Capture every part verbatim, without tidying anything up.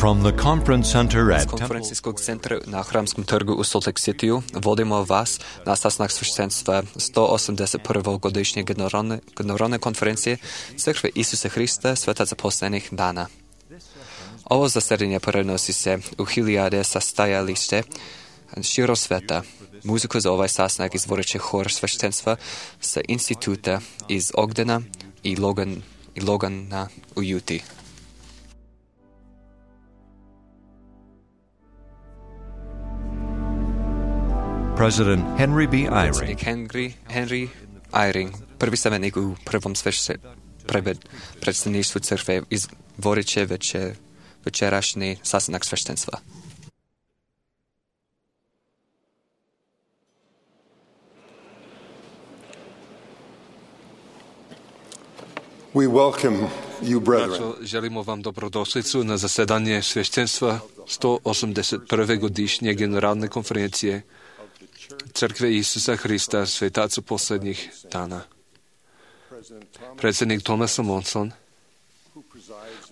From the conference center З at конференційського центру на Храмському торгу у Солт-Лейк-Сіті водимо вас на sastanах священства сто осемдесят первої годичної генеральної конференції Церкви Ісуса Христа Свята за последних дана. Ovo zasedanje prenosi se u hiljade sastajalište širo sveta. Muziku za ovaj sastanak izvorit će hor sveštenstva sa instituta iz Ogdena i, Logan, i Logana u Juti. President Henry B. Eyring. Predsjednik Henry, Henry Eyring, prvi savjetnik u prvom svešte, pred, predstavništvu crkve, izvorit će veče, večerašnji sastanak sveštenstva. We welcome you, brethren. Braćo, želimo vam dobrodošlicu na zasedanje sveštenstva sto osamdeset prve godišnje generalne konferencije Crkve Isusa Hrista Svetaca posljednjih dana. Predsjednik Thomas Monson,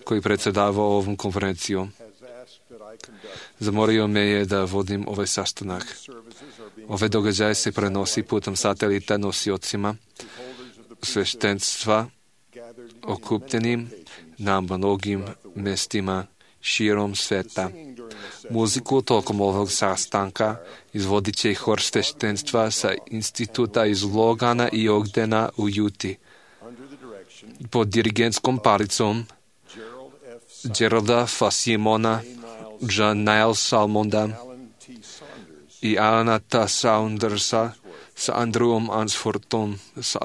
koji predsjedava ovom konferencijom, zamolio me je da vodim ovaj sastanak. Ove događaje se prenosi putem satelita nosiocima sveštenstva okupljenim na mnogim mjestima širom sveta. Muziku tokom ovog sastanka izvodit će hor sveštenstva sa instituta iz Logana i Ogdena u Juti. Pod dirigentskom palicom Geralda Fasimona, John Niles Salmonda i Alana T. Saundersa sa Andrewom Ansfortom sa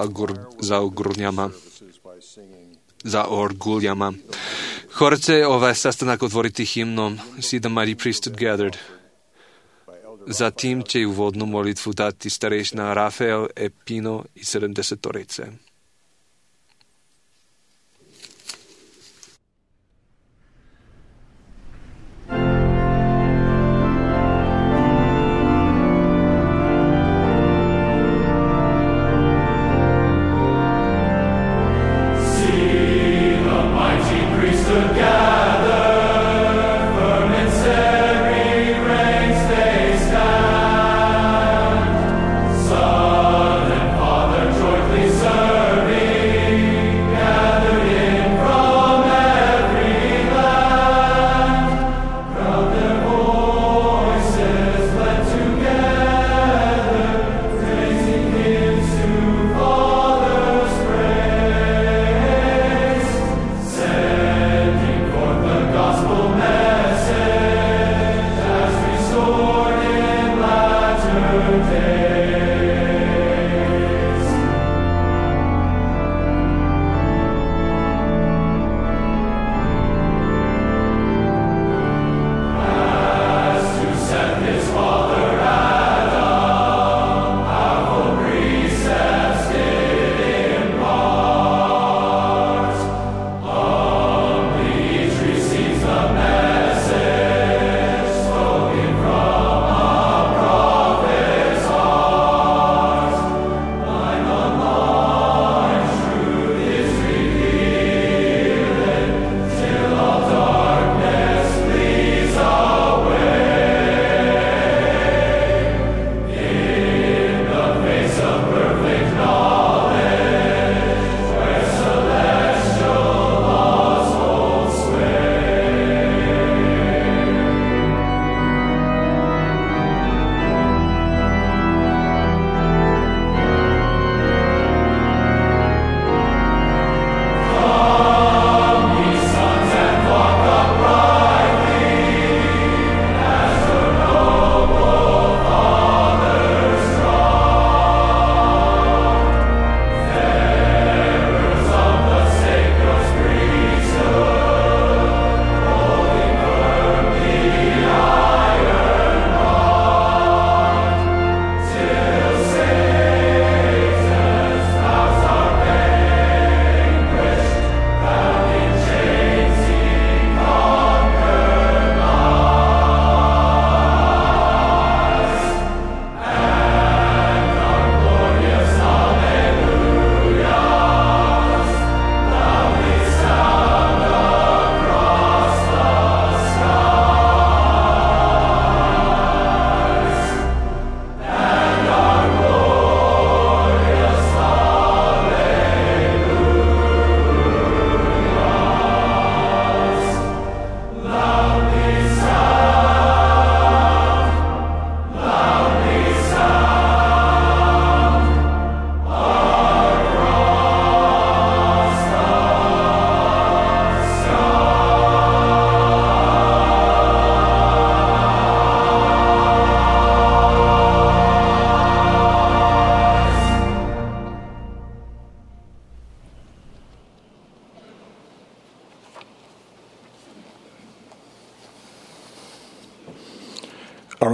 za ogurnjama. za orguljama. Hor će ovaj sastanak otvoriti himnom See the Mighty Priesthood Gathered. Zatim će uvodnu molitvu dati starešina Rafael Epino i sedamdesetorice. Son and Father joyfully serve.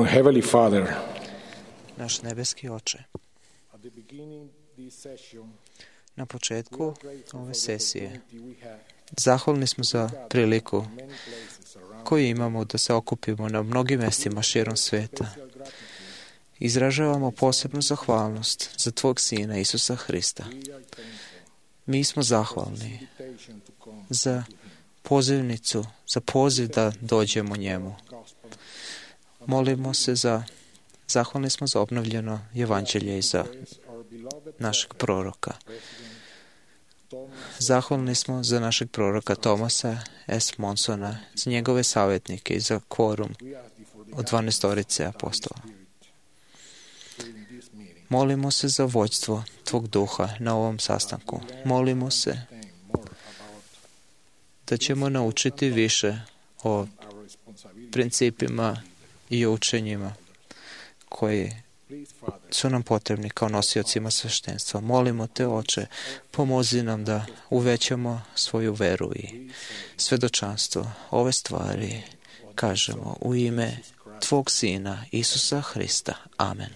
Our Heavenly Father, Naš nebeski Oče, at the beginning this session, na početku ove sesije zahvalni smo za priliku koju imamo da se okupimo na mnogim mjestima širom sveta. Izražavamo posebnu zahvalnost za Tvog Sina Isusa Hrista. Mi smo zahvalni za pozivnicu, za poziv da dođemo njemu. Molimo se za, zahvalni smo za obnovljeno evanđelje i za našeg proroka. Zahvalni smo za našeg proroka Tomasa S. Monsona, za njegove savjetnike i za kvorum od dvanaestorice apostola. Molimo se za vođstvo Tvog duha na ovom sastanku. Molimo se da ćemo naučiti više o principima i učenjima koji su nam potrebni kao nosiocima sveštenstva. Molimo Te, Oče, pomozi nam da uvećamo svoju veru i svedočanstvo. Ove stvari kažemo u ime Tvog Sina Isusa Hrista. Amen.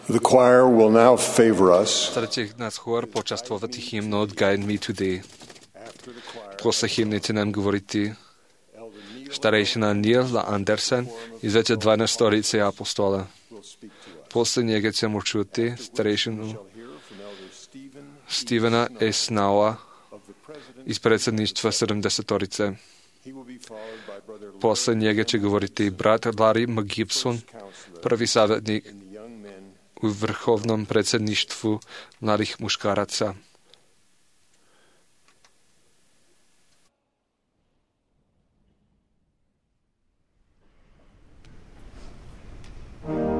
The choir will now favor us. Sada će nas hor počastvovati himno od Guide Me Today. Posle himne će nam govoriti starejšina Neil Andersen iz veće dvanaestorice apostola. Posle njega ćemo čuti starejšinu Stevena S. Naua iz predsjedništva sedamdesetorice. Posle njega će govoriti brat Larry McGibson, prvi savjetnik u vrhovnom predsjedništvu mladih muškaraca. Me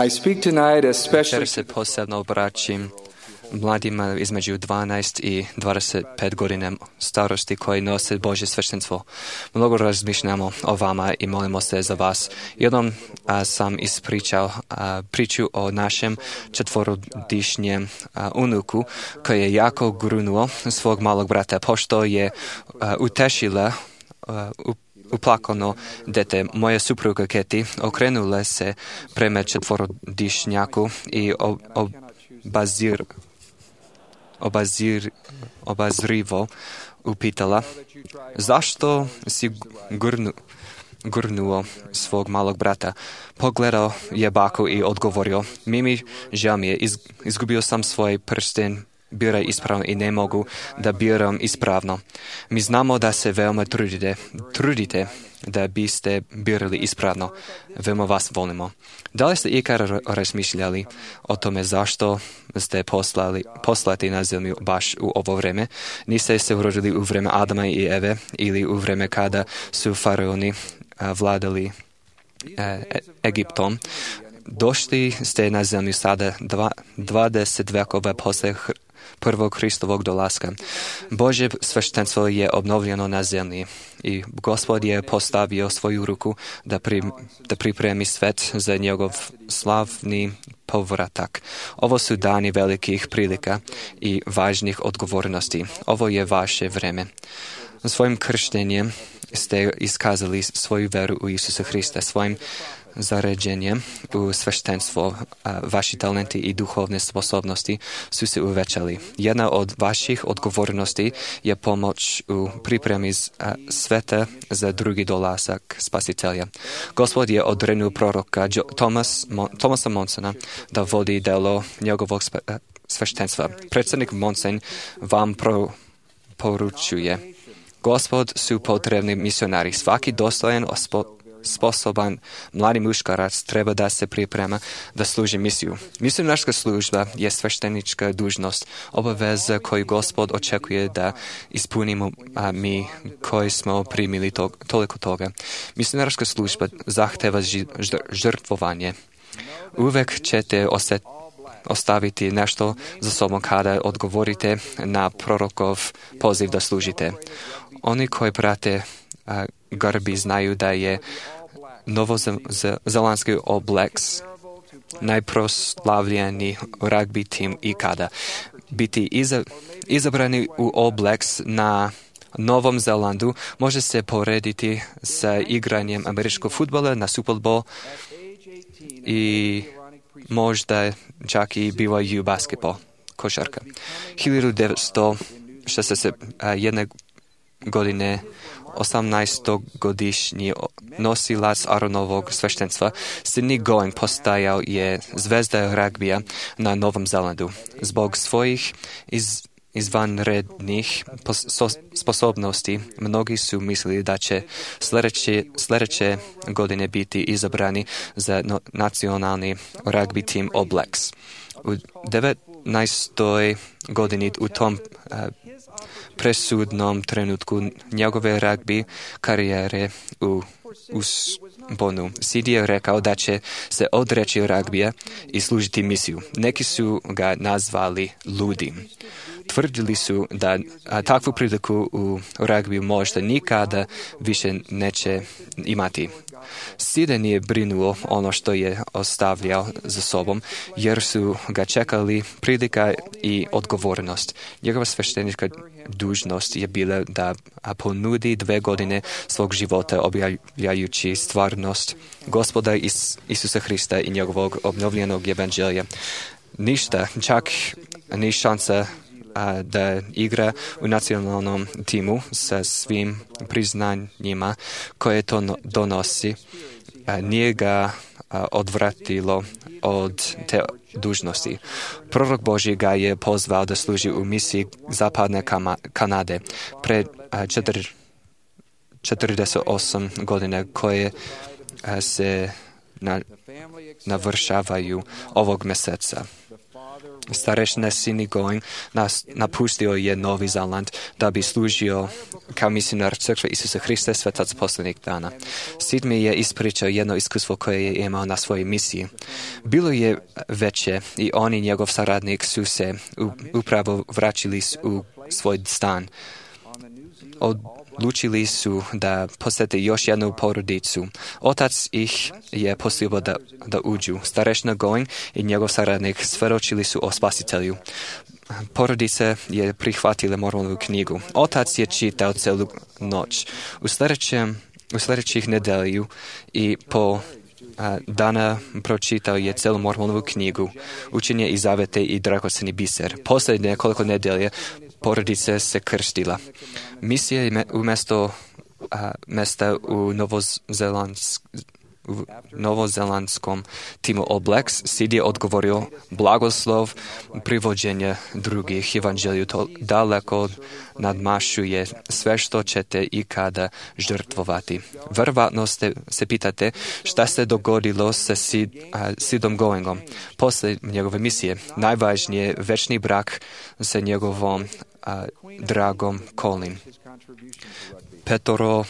I speak tonight especially Večer se posebno obraćam mladima između dvanaest i dvadeset pet godina starosti koji nose Božje sveštenstvo. Mnogo razmišljamo o vama i molimo se za vas. Jednom a, sam ispričao a, priču o našem četvorodišnjem a, unuku koji je jako grunuo svog malog brata, pošto je a, utešila a, u uplakano dete. Moja supruga Keti okrenula se prema četvorodišnjaku i obazir, obazir, obazrivo upitala zašto si gurnu, gurnuo svog malog brata. Pogledao je baku i odgovorio: Mimi, žao mi je, iz, izgubio sam svoj prsten, biraj ispravno i ne mogu da biram ispravno. Mi znamo da se veoma trudite, trudite da biste birali ispravno. Veoma vas volimo. Da li ste ikada razmišljali o tome zašto ste poslali, poslati na zemlju baš u ovo vreme? Niste se urodili u vreme Adama i Eve ili u vreme kada su faraoni a, vladali e, Egiptom. Došli ste na zemlju sada dva, dvadeset vekova posle prvog Hristovog dolaska. Božje sveštenstvo je obnovljeno na zemlji i Gospod je postavio svoju ruku da, pri, da pripremi svet za njegov slavni povratak. Ovo su dani velikih prilika i važnih odgovornosti. Ovo je vaše vreme. Svojim krštenjem ste iskazali svoju veru u Isusa Hrista, svojim zaređenjem u sveštenstvo, a vaši talenti i duhovne sposobnosti su se uvećali. Jedna od vaših odgovornosti je pomoć u pripremi sveta za drugi dolazak Spasitelja. Gospod je odrenuo proroka Thomas, Thomasa Monsona da vodi delo njegovog sveštenstva. Predsjednik Monson vam pro, poručuje: Gospod su potrebni misionari. Svaki dostojan ospo, sposoban mladi muškarac treba da se priprema da služi misiju. Misionarska služba je sveštenička dužnost, obaveza koju Gospod očekuje da ispunimo a mi koji smo primili to, toliko toga. Misionarska služba zahteva žrtvovanje. Uvek ćete osjet, ostaviti nešto za sobom kada odgovorite na prorokov poziv da služite. Oni koji prate a, garbi znaju da je novozelandski All Blacks najproslavljeniji rugby tim ikada. Biti iza, izabrani u All Blacks na Novom Zelandu može se porediti sa igranjem američkog fudbala na Super Bowl i možda čak i B Y U basketball, košarka. hiljadu devetsto šezdeset jedne godine osamnaestogodišnji nosilac Aronovog sveštenstva Sidney Going postajao je zvezda ragbija na Novom Zelandu. Zbog svojih iz, izvanrednih sposobnosti mnogi su mislili da će sljedeće, sljedeće godine biti izabrani za no, nacionalni rugby tim All Blacks. U devetnaestoj godini u tom uh, presudnom trenutku njegove rugby karijere u usponu. Sid je rekao da će se odreći ragbija i služiti misiju. Neki su ga nazvali ludim. Tvrdili su da a, takvu priliku u ragbiju možda nikada više neće imati. Side nije brinuo ono što je ostavljao za sobom, jer su ga čekali prilika i odgovornost. Njegova sveštenička dužnost je bila da ponudi dve godine svog života objavljajući stvarnost Gospoda Is- Isusa Hrista i njegovog obnovljenog evanđelja. Ništa, čak ni šansa a, da igra u nacionalnom timu sa svim priznanjima koje to no, donosi, a, nije ga a, odvratilo od te dužnosti. Prorok Božji ga je pozvao da služi u misiji Zapadne Kama, Kanade pred a, četir, četrdeset osam godine koje a, se na, navršavaju ovog mjeseca. Starešina Sidney Going nas napustio je Novi Zeland da bi služio kao misionar Crkve Isusa Hrista svetaca posljednjih dana. Sid mi je ispričao jedno iskustvo koje je imao na svojoj misiji. Bilo je veće i on i njegov saradnik su se upravo vraćali u svoj stan. Odlučili su da posjete još jednu porodicu. Otac ih je poslio da, da uđu. Starešina Going i njegov saradnik svedočili su o Spasitelju. Porodica je prihvatila Mormonovu knjigu. Otac je čitao celu noć. U, u sljedećih nedelju i po a, dana pročitao je celu Mormonovu knjigu, Učenje i zavete i dragoceni biser. Posljednje nekoliko nedelje porodica se krstila. Misija je umjesto a, mesta u Novozelandsk, u novozelandskom timu All Blacks, Sid je odgovorio blagoslov privođenja drugih evanđelju. To daleko nadmašuje sve što ćete ikada žrtvovati. Vjerovatno ste se pitate šta se dogodilo sa Sid, a, Sidom Goingom posle njegove misije. Najvažnije večni brak sa njegovom a, dragom Colin. Petoro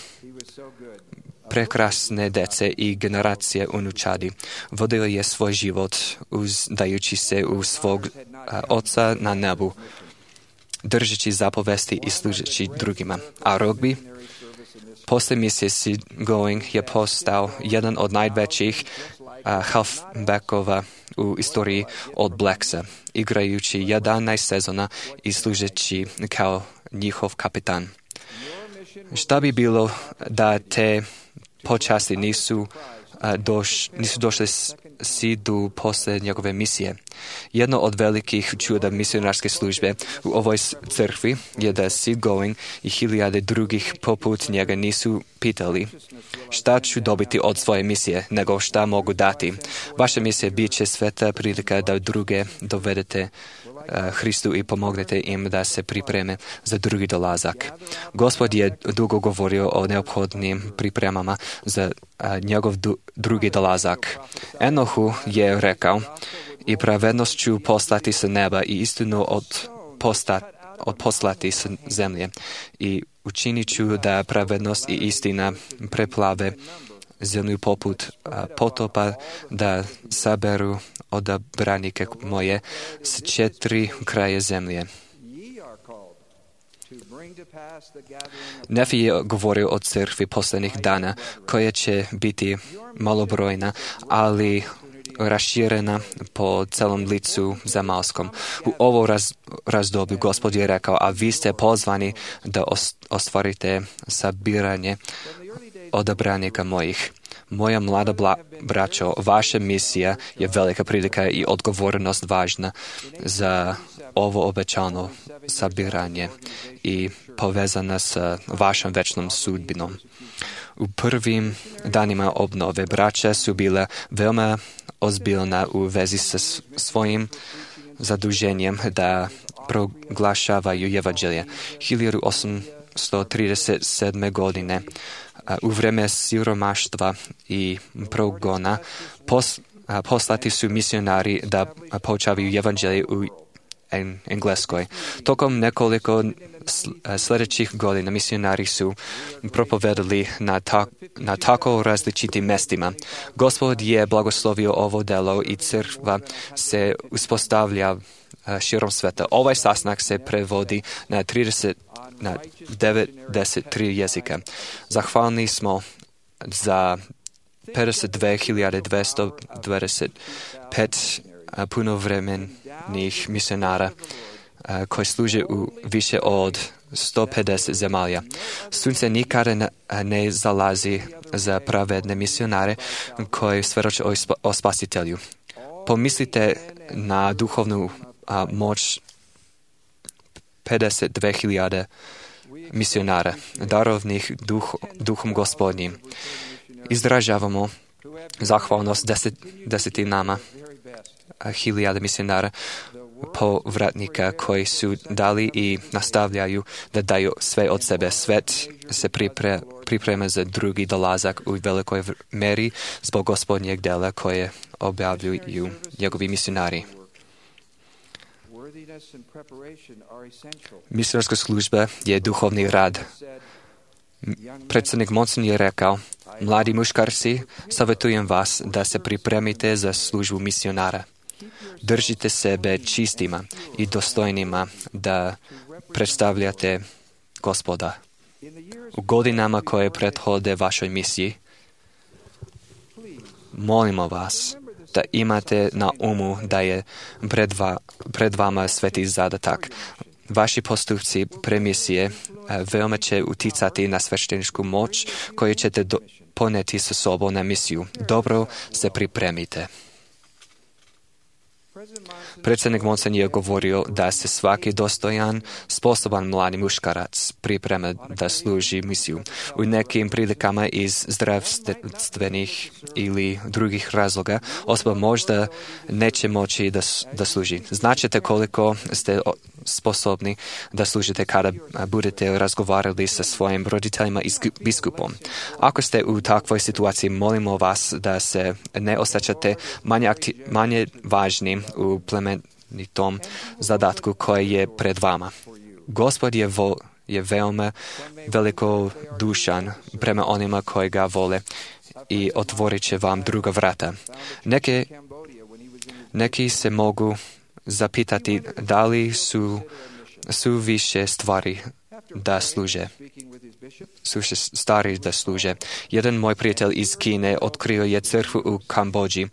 prekrasne dece i generacije unučadi. Vodio je svoj život uzdajući se u svog a, oca na nebu, držeći zapovesti i služeći drugima. A rugby, posle misije Sid Going je postao jedan od najvećih a, halfbackova u istoriji All Blacksa, igrajući jedanaest sezona i služeći kao njihov kapitan. Šta bi bilo da te počasti nisu, a, doš, nisu došli Sidu posle njegove misije? Jedno od velikih čuda misionarske službe u ovoj crkvi je da Sid Going i hiljade drugih poput njega nisu pitali šta ću dobiti od svoje misije, nego šta mogu dati. Vaša misija bit će sveta prilika da druge dovedete Hristu i pomognete im da se pripreme za drugi dolazak. Gospod je dugo govorio o neophodnim pripremama za a, njegov du, drugi dolazak. Enohu je rekao, i pravednost ću poslati sa neba i istinu od, posta, od poslati sa zemlje. I učinit ću da pravednost i istina preplave zemlju poput a, potopa, da saberu odabranike moje s četiri kraje zemlje. Nefi je govorio o crkvi posljednjih dana, koja će biti malobrojna, ali raširena po celom licu zemaljskom. U ovo raz, razdoblju Gospod je rekao, a vi ste pozvani da ostvarite sabiranje odabranika mojih. Moja mlada bla, braćo, vaša misija je velika prilika i odgovornost važna za ovo obećano sabiranje i povezana sa vašom večnom sudbinom. U prvim danima obnove braća su bila veoma ozbiljna u vezi sa svojim zaduženjem da proglašavaju evanđelje. hiljadu osamsto trideset sedme. godine u vreme siromaštva i progona pos, poslati su misionari da poučavaju evanđelje u Engleskoj. Tokom nekoliko sljedećih godina misionari su propovedali na, ta, na tako različitim mestima. Gospod je blagoslovio ovo delo i crkva se uspostavlja širom sveta. Ovaj sastanak se prevodi na trideset na devedeset tri jezika. Zahvalni smo za pedeset dve hiljade dvesta dvadeset pet punovremenih misionara koji služe u više od sto pedeset zemalja. Sunce nikada ne, ne zalazi za pravedne misionare koji svjedoče o, o Spasitelju. Pomislite na duhovnu a, moć pedeset dve hiljade misionara, darovnih duh, duhom Gospodnjim. Izražavamo zahvalnost deset, desetinama hiljada misionara povratnika koji su dali i nastavljaju da daju sve od sebe. Svet se pripre, priprema za drugi dolazak u velikoj meri zbog Gospodnjeg dela koje objavljuju njegovi misionari. Misionarska služba je duhovni rad. Predsjednik Monson je rekao, mladi muškarci, savjetujem vas da se pripremite za službu misionara. Držite sebe čistima i dostojnima da predstavljate Gospoda. U godinama koje prethode vašoj misiji, molimo vas da imate na umu da je pred, va, pred vama sveti zadatak. Vaši postupci premisije veoma će uticati na svešteničku moć koju ćete do, poneti sa sobom na misiju. Dobro se pripremite. Predsjednik Monson je govorio da se svaki dostojan, sposoban mladi muškarac priprema da služi misiju. U nekim prilikama iz zdravstvenih ili drugih razloga osoba možda neće moći da, da služi. Značite koliko ste sposobni da služite kada budete razgovarali sa svojim roditeljima i biskupom. Ako ste u takvoj situaciji, molimo vas da se ne osjećate manje, akti, manje važni u plemenitom zadatku koji je pred vama. Gospod je, vo, je veoma veliko dušan prema onima koji ga vole i otvorit će vam druga vrata. Neke, neki se mogu zapitati da li su, su više stvari da služe. Su stari da služe. Jedan moj prijatelj iz Kine otkrio je crkvu u Kambodži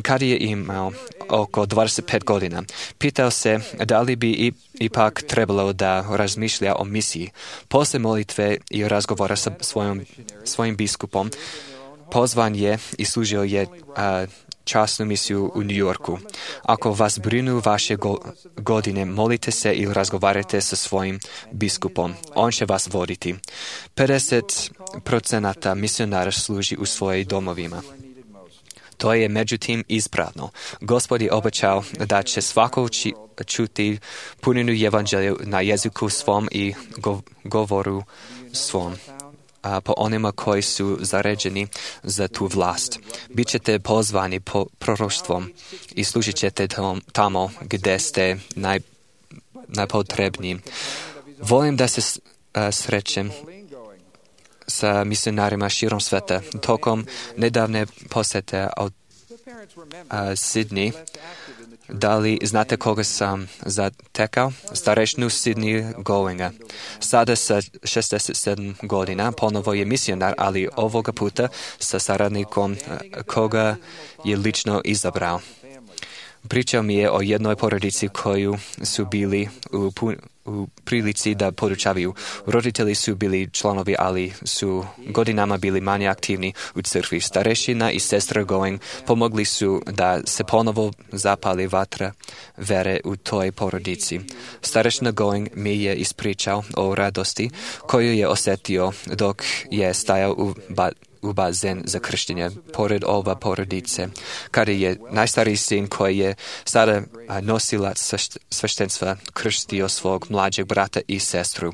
kad je imao oko dvadeset pet godina. Pitao se da li bi ipak trebalo da razmišlja o misiji. Poslije molitve i razgovora sa svojom, svojim biskupom pozvan je i služio je a, časnu misiju u New Yorku. Ako vas brinu vaše go, godine, molite se ili razgovarajte sa svojim biskupom. On će vas voditi. pedeset procenata misionara služi u svojim domovima. To je međutim ispravno. Gospod je obećao da će svako uči, čuti puninu evanđelja na jeziku svom i go, govoru svom. A po onima koji su zaređeni za tu vlast. Bićete pozvani po proroštvom i služit ćete tamo gdje ste naj, najpotrebniji. Volim da se uh, srećem sa misionarima širom sveta. Tokom nedavne posete od uh, Sydney, da li znate koga sam zatekao? Starešnu Sydney Goinga. Sada sa šezdeset sedam godina, ponovo je misionar, ali ovoga puta sa saradnikom koga je lično izabrao. Pričao mi je o jednoj porodici koju su bili u, u prilici da podučavaju. Roditelji su bili članovi, ali su godinama bili manje aktivni u crkvi. Starešina i sestra Going pomogli su da se ponovo zapali vatra vere u toj porodici. Starešina Going mi je ispričao o radosti koju je osjetio dok je stajao u ba u bazen za krštenje, pored ova porodice, kada je najstariji sin koji je sada nosilac sveštenstva krštio svog mlađeg brata i sestru.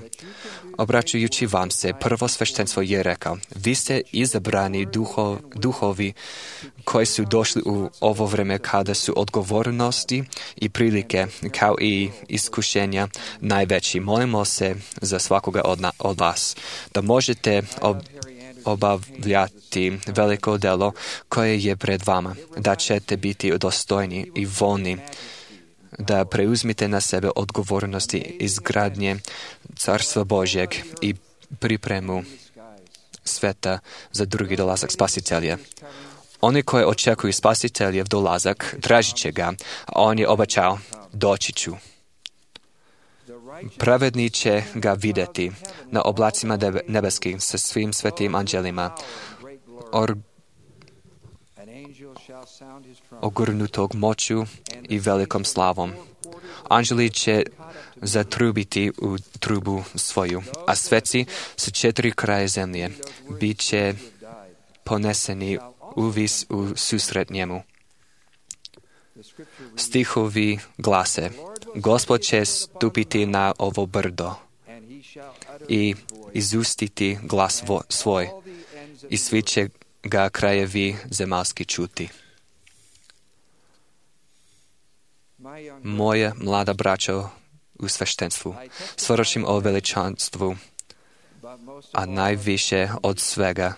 Obraćajući vam se, prvo sveštenstvo je rekao, vi ste izabrani duho, duhovi koji su došli u ovo vreme kada su odgovornosti i prilike kao i iskušenja najveći. Molimo se za svakoga od, na, od vas, da možete ob, obavljati veliko delo koje je pred vama, da ćete biti dostojni i voljni, da preuzmite na sebe odgovornosti izgradnje Carstva Božjeg i pripremu sveta za drugi dolazak Spasitelja. Oni koji očekuju Spasiteljev dolazak, tražit će ga, a on je obećao, doći ću. Pravedni će ga vidjeti na oblacima nebeskih sa svim svetim anđelima, or, ogurnutog moću i velikom slavom. Anđeli će zatrubiti u trubu svoju, a sveci sa četiri kraje zemlje bit će poneseni uvis u susret njemu. Stihovi glase, Gospod će stupiti na ovo brdo i izustiti glas vo, svoj i svi će ga krajevi zemaljski čuti. Moje mlada braćo u sveštenstvu, svjedočim o veličanstvu, a najviše od svega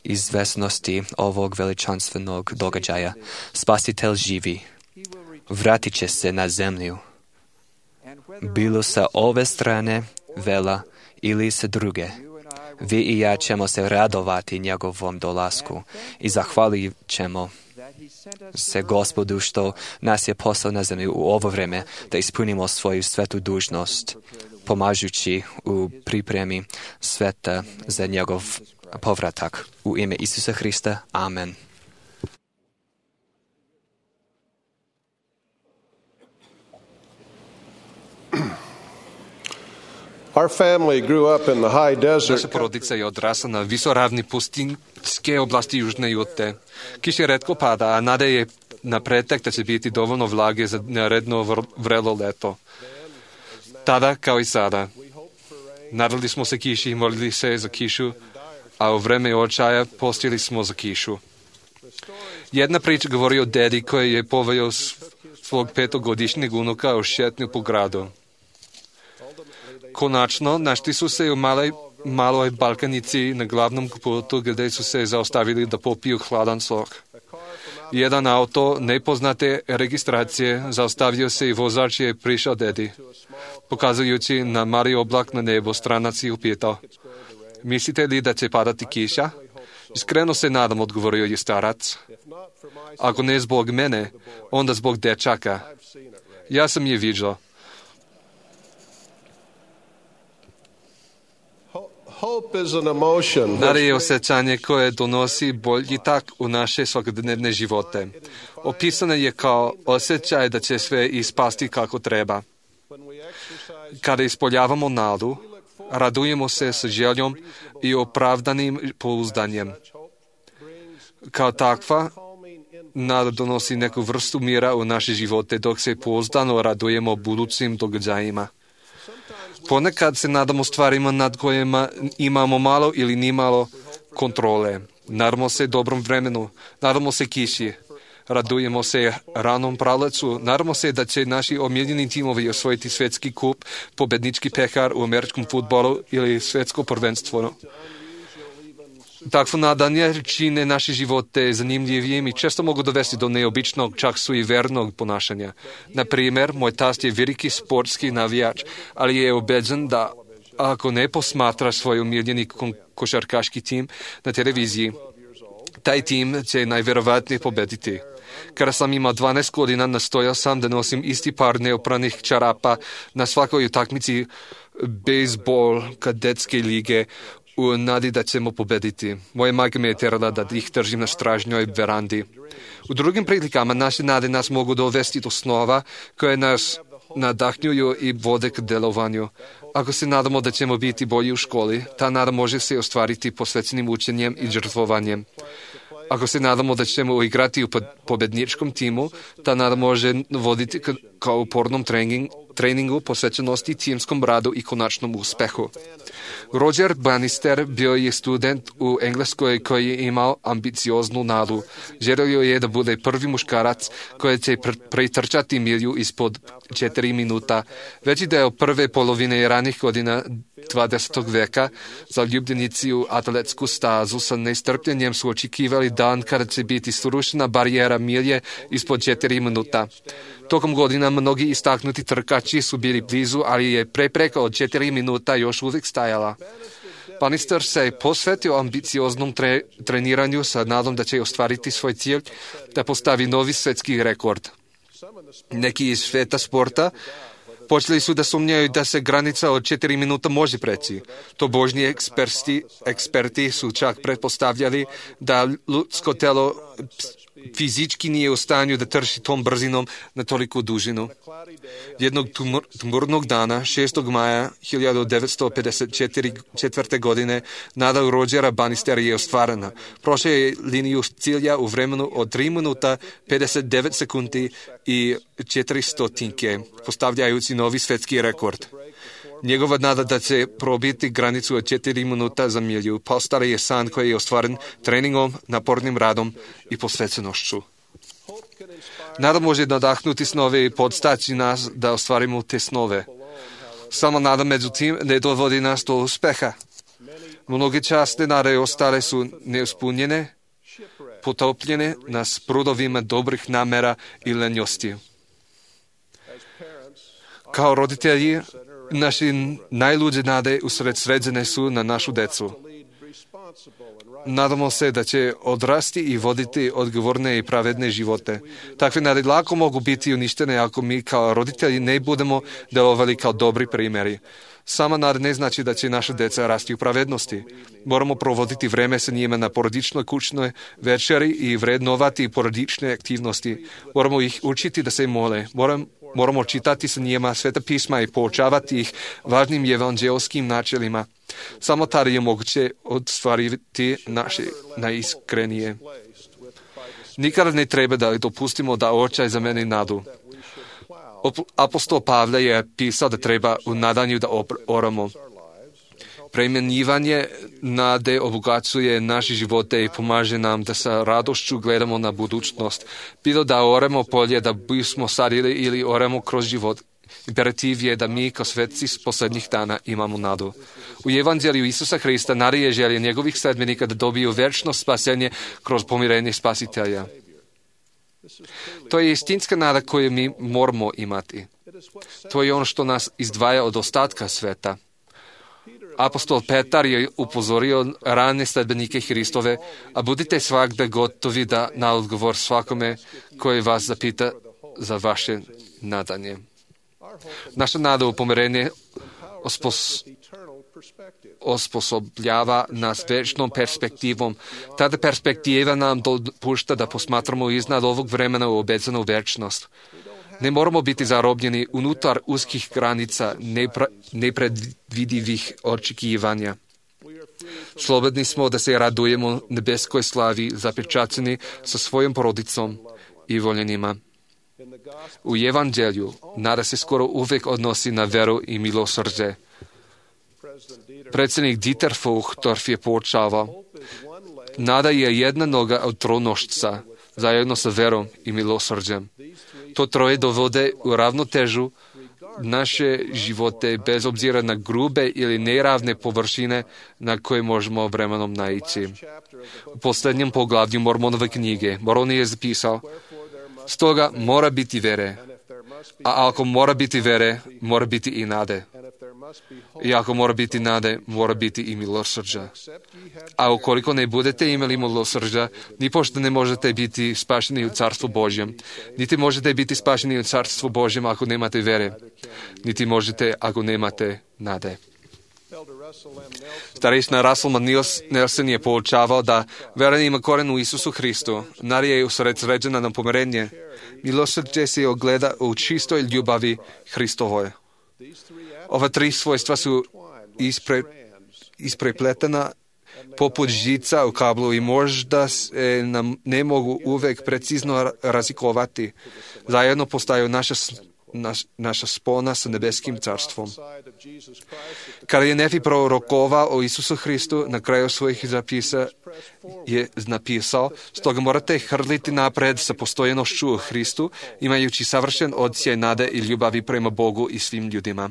izvesnosti ovog veličanstvenog događaja. Spasitelj živi, vratit će se na zemlju, bilo sa ove strane vela ili sa druge. Vi i ja ćemo se radovati njegovom dolasku i zahvalit ćemo se Gospodu što nas je poslao na zemlju u ovo vreme da ispunimo svoju svetu dužnost, pomažući u pripremi sveta za njegov povratak. U ime Isusa Hrista. Amen. Our family grew up in the high desert. Naša porodica je odrasla na visoravni pustinske oblasti Južne Jute. Kiša retko pada, a nada je na pretek da će biti dovoljno vlage za naredno vrelo leto. Tada, kao i sada, nadali smo se kiši, molili se za kišu, a u vreme očaja postili smo za kišu. Jedna priča govori o dedi koji je poveo svog petogodišnjeg unuka u šetnju po gradu. Konačno, našli su se u maloj, maloj Balkanici na glavnom putu gdje su se zaustavili da popiju hladan sok. Jedan auto nepoznate registracije zaustavio se i vozač je prišao dedi. Pokazujući na mali oblak na nebo, stranac je upitao: mislite li da će padati kiša? Iskreno se nadam, odgovorio je starac. Ako ne zbog mene, onda zbog dečaka. Ja sam je viđao. Nada je osjećanje koje donosi boljitak u naše svakodnevne živote. Opisano je kao osjećaj da će sve ispasti kako treba. Kada ispoljavamo nadu, radujemo se sa željom i opravdanim pouzdanjem. Kao takva, nada donosi neku vrstu mira u naše živote dok se pouzdano radujemo budućim događajima. Ponekad se nadamo stvarima nad kojima imamo malo ili nimalo kontrole. Nadamo se dobrom vremenu, nadamo se kiši, radujemo se ranom pralecu, nadamo se da će naši omiljeni timovi osvojiti svjetski kup, pobednički pehar u američkom fudbalu ili svjetsko prvenstvo. Takvo nadanje čine naše živote zanimljivijim i često mogu dovesti do neobičnog, čak suivernog ponašanja. Na primjer, moj tast je veliki sportski navijač, ali je ubeđen da ako ne posmatra svoj omiljeni košarkaški tim na televiziji, taj tim će najvjerovatnije pobediti. Kada sam imao dvanaest godina, nastojao sam da nosim isti par neopranih čarapa na svakoj utakmici bejsbol kadetske lige u nadi da ćemo pobediti. Moja majka me je terala da ih držim na stražnjoj verandi. U drugim prilikama naše nade nas mogu dovesti do snova koje nas nadahnjuju i vode k delovanju. Ako se nadamo da ćemo biti bolji u školi, ta nada može se ostvariti posvećenim učenjem i žrtvovanjem. Ako se nadamo da ćemo igrati u pobedničkom timu, ta nada može voditi kao upornom trening, treningu, posvećenosti, timskom radu i konačnom uspehu. Roger Bannister bio je student u Engleskoj koji je imao ambicioznu nadu. Želio je da bude prvi muškarac koji će pretrčati milju ispod četiri minuta. Veći deo prve polovine ranih godina dvadesetog veka zaljubljenici u atletsku stazu sa nestrpljenjem su očekivali dan kada će biti srušena barijera milje ispod četiri minuta. Tokom godina mnogi istaknuti trkači su bili blizu, ali je prepreka od četiri minuta još uvijek stajala. Bannister se posvetio ambicioznom tre, treniranju sa nadom da će ostvariti svoj cilj da postavi novi svjetski rekord. Neki iz sveta sporta počeli su da sumnjaju da se granica od četiri minuta može preći. Tobožnji eksperti, eksperti su čak pretpostavljali da ljudsko telo fizički nije u stanju da trči tom brzinom na toliku dužinu. Jednog tmurnog dana, šestog maja hiljadu devetsto pedeset četvrte. godine, nada Rogera Bannistera je ostvarena. Prošao je liniju cilja u vremenu od tri minuta, pedeset devet sekundi i četiri stotinke, postavljajući novi svjetski rekord. Njegova nada da će probiti granicu od četiri minuta za milju postala je san koji je ostvaren treningom, napornim radom i posvećenošću. Nada može nadahnuti snove i podstaći nas da ostvarimo te snove. Samo nada, međutim, ne dovodi nas do uspeha. Mnoge časne nade ostale su neuspunjene, potopljene na sprudovima dobrih namera i lenjosti. Kao roditelji, naši najluđe nade usred sređene su na našu decu. Nadamo se da će odrasti i voditi odgovorne i pravedne živote. Takve nade lako mogu biti uništene ako mi kao roditelji ne budemo delovali kao dobri primjeri. Sama nada ne znači da će naša deca rasti u pravednosti. Moramo provoditi vreme sa njima na porodičnoj kućnoj večeri i vrednovati porodične aktivnosti. Moramo ih učiti da se mole. Moram, moramo čitati sa njima Sveta pisma i poučavati ih važnim evanđelskim načelima. Samo tada je moguće ostvariti naše najiskrenije. Nikada ne treba da dopustimo da očaj zameni nadu. Apostol Pavle je pisao da treba u nadanju da oramo. Premenjivanje nade obogaćuje naše živote i pomaže nam da sa radošću gledamo na budućnost. Bilo da oramo polje da bismo sadili ili oramo kroz život. Imperativ je da mi kao svetci s posljednjih dana imamo nadu. U Evanđelju Isusa Hrista nada je želja njegovih sledbenika da dobiju večno spasenje kroz pomirenje Spasitelja. To je istinska nada koju mi moramo imati. To je ono što nas izdvaja od ostatka sveta. Apostol Petar je upozorio rane sledbenike Hristove, a budite svakda gotovi da na odgovor svakome koji vas zapita za vaše nadanje. Naša nada u pomirenje ospos, osposobljava nas večnom perspektivom. Tada perspektiva nam dopušta da posmatramo iznad ovog vremena u obecanu večnost. Ne moramo biti zarobljeni unutar uskih granica nepra, nepredvidivih očekivanja. Slobodni smo da se radujemo nebeskoj slavi, zapečaćeni sa svojom porodicom i voljenima. U Evanđelju nada se skoro uvijek odnosi na veru i milosrđe. Predsjednik Dieter Uchtdorf je poučavao: nada je jedna noga od tronošca, zajedno sa verom i milosrđem. To troje dovode u ravnotežu naše živote bez obzira na grube ili neravne površine na koje možemo vremenom naići. U posljednjem poglavlju Mormonove knjige Mormon je zapisao: stoga mora biti vere, a ako mora biti vere, mora biti i nade. I ako mora biti nade, mora biti i milosrđa. A ukoliko ne budete imali milosrđa, ni pošto ne možete biti spašeni u Carstvu Božjem, niti možete biti spašeni u Carstvu Božjem ako nemate vere, niti možete ako nemate nade. Starešina Russell Nelson je poučavao da vera ima koren u Isusu Hristu, nada je usredsređena na pomirenje. Milosrđe se ogleda u čistoj ljubavi Hristovoj. Ova tri svojstva su ispre, isprepletena poput žica u kablu i možda se nam ne mogu uvek precizno razlikovati. Zajedno postaju naša, naš, naša spona sa nebeskim carstvom. Kada je Nefi prorokovao o Isusu Hristu, na kraju svojih zapisa je napisao: stoga morate hrliti napred sa postojenošću u Hristu, imajući savršen odsjaj nade i ljubavi prema Bogu i svim ljudima.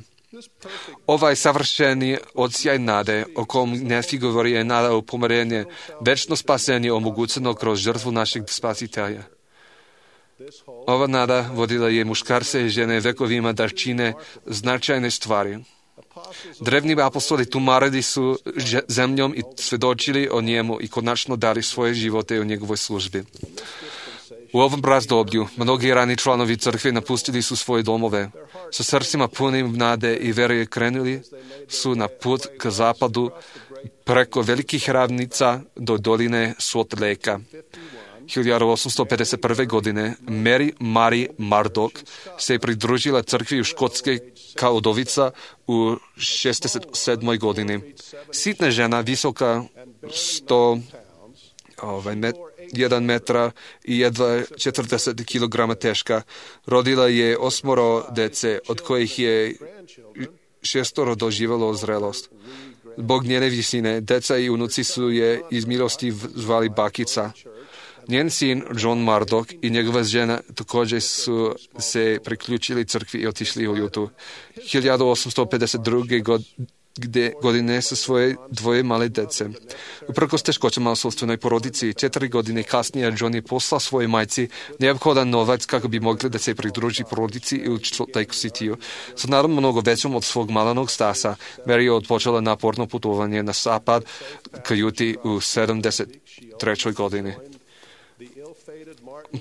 Ovaj savršeni odsjaj nade, o kom Nefi govori, je nada u pomirenje, večno spasenje omogućeno kroz žrtvu našeg Spasitelja. Ova nada vodila je muškarce i žene vekovima da čine značajne stvari. Drevni apostoli tumarili su zemljom i svedočili o njemu i konačno dali svoje živote u njegovoj službi. U ovom razdoblju mnogi rani članovi crkve napustili su svoje domove. Sa srcima punim nade i vere krenuli su na put k zapadu preko velikih ravnica do doline Salt Lake-a. hiljadu osamsto pedeset prve. godine Mary Marie Murdoch se pridružila crkvi u Škotske kao udovica u šezdeset sedmoj. godini. Sitna žena, visoka sto ovaj, met, jedan metra i jedva četrdeset kilograma teška, rodila je osmoro dece, od kojih je šestoro doživjelo zrelost. Zbog njene visine, deca i unuci su je iz milosti zvali bakica. Njen sin John Murdoch i njegova žena također su se priključili crkvi i otišli u Jutu. hiljadu osamsto pedeset druge god gde godine sa svoje dvoje male dece. Uprkos teškoćama u sopstvenoj porodici, četiri godine kasnije John je poslao svojoj majci neophodan novac kako bi mogli da se pridruži porodici u Salt Lake City-u. Sa naravno mnogo većom od svog malenog stasa, Mary je odpočela naporno putovanje na zapad ka Juti u sedamdeset trećoj godini.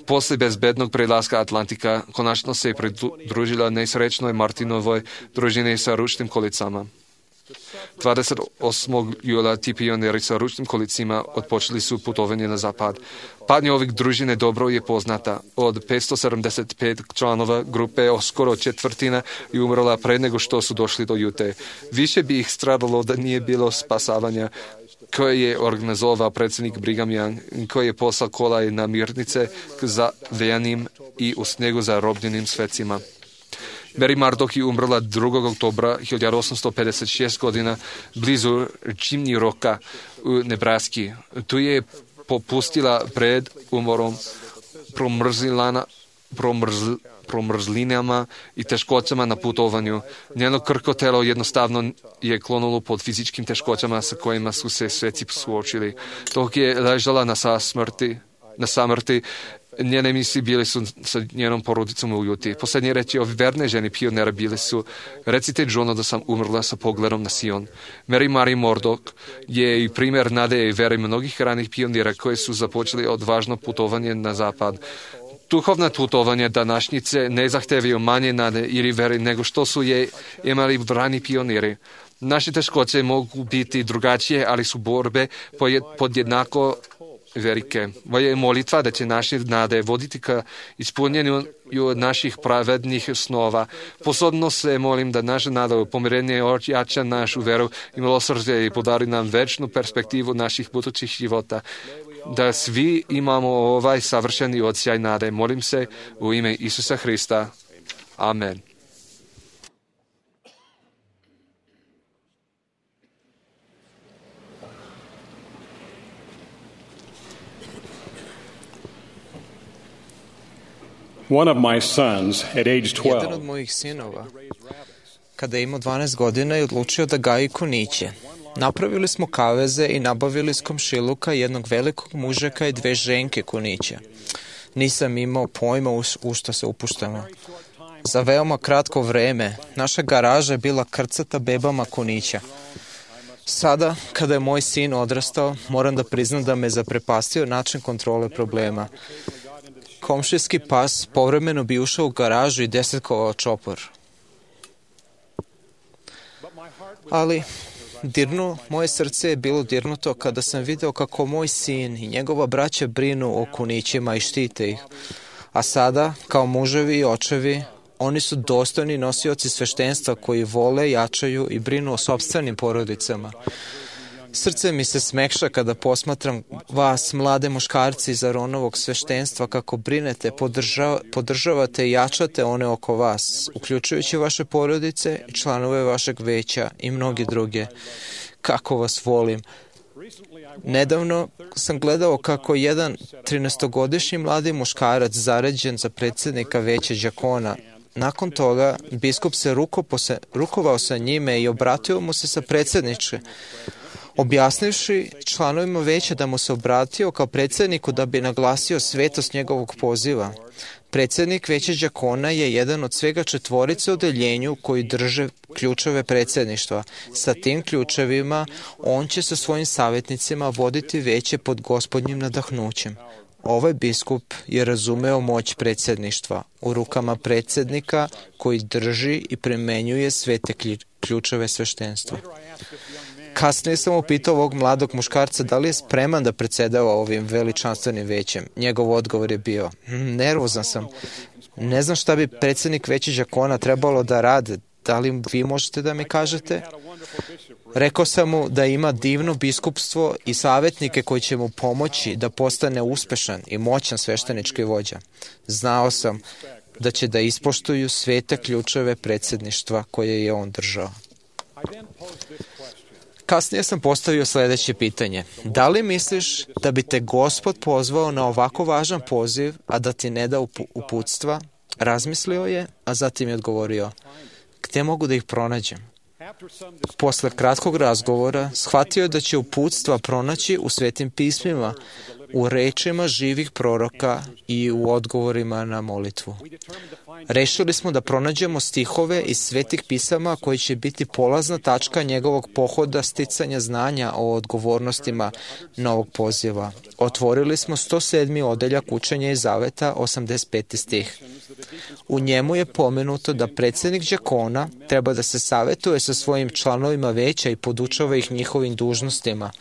Posle bezbednog prelaska Atlantika, konačno se je pridružila nesrećnoj Martinovoj družini sa ručnim kolicama. dvadeset osmog jula ti pioneri sa ručnim kolicima odpočeli su putovanje na zapad. Patnja ovih družine dobro je poznata. Od petsto sedamdeset pet članova grupe skoro četvrtina je umrla pre nego što su došli do Jute. Više bi ih stradalo da nije bilo spasavanja koje je organizovao predsjednik Brigham Young, koji je poslao kolaj na mirnice k zavejanim i u snegu zarobljenim svecima. Mary Murdoch je umrla drugog oktobra hiljadu osamsto pedeset šeste godina blizu Chimney Rocka u Nebraski. Tu je popustila pred umorom, promrzlina, promrzl, promrzlinama i teškoćama na putovanju. Njeno krhko telo jednostavno je klonulo pod fizičkim teškoćama sa kojima su se sveci suočili. Dok je ležala na samrti, na samrti, njene misli bile su sa njenom porodicom u Juti. Posljednje reči ovi verne ženi pionera bile su: recite Johnu da sam umrla sa pogledom na Sion. Mary Mary Murdoch je i primjer nade i vere mnogih ranih pionira koji su započeli odvažno putovanje na zapad. Duhovna putovanja današnjice ne zahtevaju manje nade ili vere nego što su je imali rani pioniri. Naše teškoće mogu biti drugačije, ali su borbe podjednako velike. Moja je molitva da će naše nade voditi ka ispunjenju naših pravednih snova. Posebno se molim da naša nada u pomirenje ojača našu veru i milosrđe i podari nam večnu perspektivu naših budućih života. Da svi imamo ovaj savršeni odsjaj nade. Molim se u ime Isusa Hrista. Amen. One of my sons, at age twelve, Jedan od mojih sinova, kada je imao dvanaest godina, je odlučio da gaji kuniće. Napravili smo kaveze i nabavili iz komšiluka jednog velikog mužeka i dve ženke kunića. Nisam imao pojma u, u što se upuštamo. Za veoma kratko vreme naša garaža je bila krcata bebama kunića. Sada, kada je moj sin odrastao, moram da priznam da me zaprepastio način kontrole problema. Komšijski pas povremeno bi ušao u garažu i desetkovao čopor. Ali dirnu, moje srce je bilo dirnuto kada sam video kako moj sin i njegova braća brinu o kunićima i štite ih. A sada, kao muževi i očevi, oni su dostojni nosioci sveštenstva koji vole, jačaju i brinu o sopstvenim porodicama. Srce mi se smekša kada posmatram vas, mlade muškarci iz Aronovog sveštenstva, kako brinete, podržava, podržavate i jačate one oko vas, uključujući vaše porodice i članove vašeg veća i mnogi druge. Kako vas volim. Nedavno sam gledao kako jedan trinaestogodišnji mladi muškarac zaređen za predsjednika veća đakona. Nakon toga biskup se rukopose, rukovao sa njime i obratio mu se sa predsjedniče, objasnivši članovima veća da mu se obratio kao predsjedniku da bi naglasio svetost njegovog poziva. Predsjednik veća đakona je jedan od svega četvorice u odeljenju koji drže ključeve predsjedništva. Sa tim ključevima on će sa svojim savjetnicima voditi veće pod gospodnjim nadahnućem. Ovaj biskup je razumeo moć predsjedništva u rukama predsjednika koji drži i primenjuje sve te ključeve sveštenstva. Kasnije sam upitao ovog mladog muškarca da li je spreman da predsjedava ovim veličanstvenim većem. Njegov odgovor je bio: hm, nervozan sam. Ne znam šta bi predsjednik veća đakona trebalo da rade. Da li vi možete da mi kažete? Rekao sam mu da ima divno biskupstvo i savjetnike koji će mu pomoći da postane uspešan i moćan sveštenički vođa. Znao sam da će da ispoštuju svete ključeve predsjedništva koje je on držao. Kasnije sam postavio sljedeće pitanje. Da li misliš da bi te Gospod pozvao na ovako važan poziv, a da ti ne da uputstva? Razmislio je, a zatim je odgovorio, gdje mogu da ih pronađem? Posle kratkog razgovora shvatio je da će uputstva pronaći u Svetim pismima, u rečima živih proroka i u odgovorima na molitvu. Rešili smo da pronađemo stihove iz Svetih pisama koji će biti polazna tačka njegovog pohoda sticanja znanja o odgovornostima novog poziva. Otvorili smo sto sedmi odeljak Učenja iz Zaveta, osamdeset peti stih. U njemu je pomenuto da predsjednik đakona treba da se savetuje sa svojim članovima veća i podučava ih njihovim dužnostima.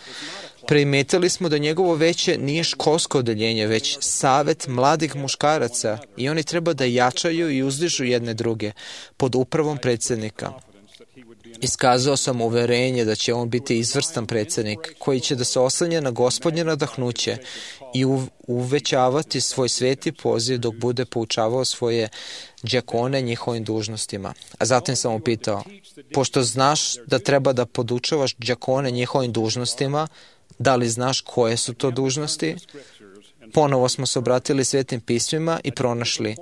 Primetili smo da njegovo veće nije školsko odeljenje, već savet mladih muškaraca i oni treba da jačaju i uzdižu jedne druge pod upravom predsjednika. Iskazao sam uverenje da će on biti izvrstan predsjednik koji će da se oslanja na Gospodnje nadahnuće i uvećavati svoj sveti poziv dok bude poučavao svoje đakone njihovim dužnostima. A zatim sam mu pitao, pošto znaš da treba da podučavaš đakone njihovim dužnostima, da li znaš koje su to dužnosti? Ponovo smo se obratili Svetim pismima i pronašli.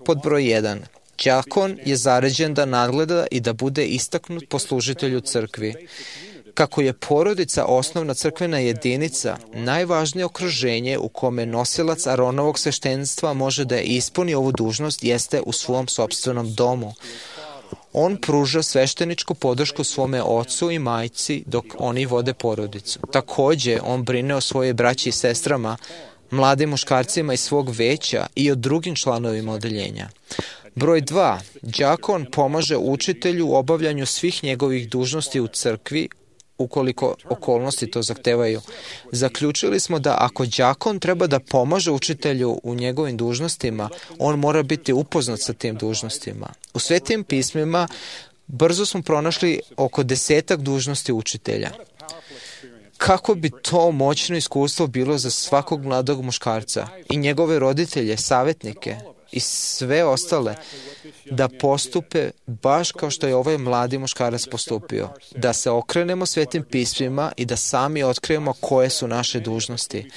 Pod broj jedan. Đakon je zaređen da nadgleda i da bude istaknut poslužitelj u crkvi. Kako je porodica osnovna crkvena jedinica, najvažnije okruženje u kome nosilac Aronovog sveštenstva može da ispuni ovu dužnost jeste u svom sopstvenom domu. On pruža svešteničku podršku svome ocu i majci dok oni vode porodicu. Također, on brine o svojoj braći i sestrama, mladim muškarcima iz svog veća i o drugim članovima odeljenja. Broj dva. Đakon pomaže učitelju u obavljanju svih njegovih dužnosti u crkvi, ukoliko okolnosti to zahtevaju. Zaključili smo da ako đakon treba da pomaže učitelju u njegovim dužnostima, on mora biti upoznat sa tim dužnostima. U Svetim pismima brzo smo pronašli oko desetak dužnosti učitelja. Kako bi to moćno iskustvo bilo za svakog mladog muškarca i njegove roditelje, savjetnike i sve ostale, da postupe baš kao što je ovaj mladi muškarac postupio, da se okrenemo Svetim pismima i da sami otkrijemo koje su naše dužnosti.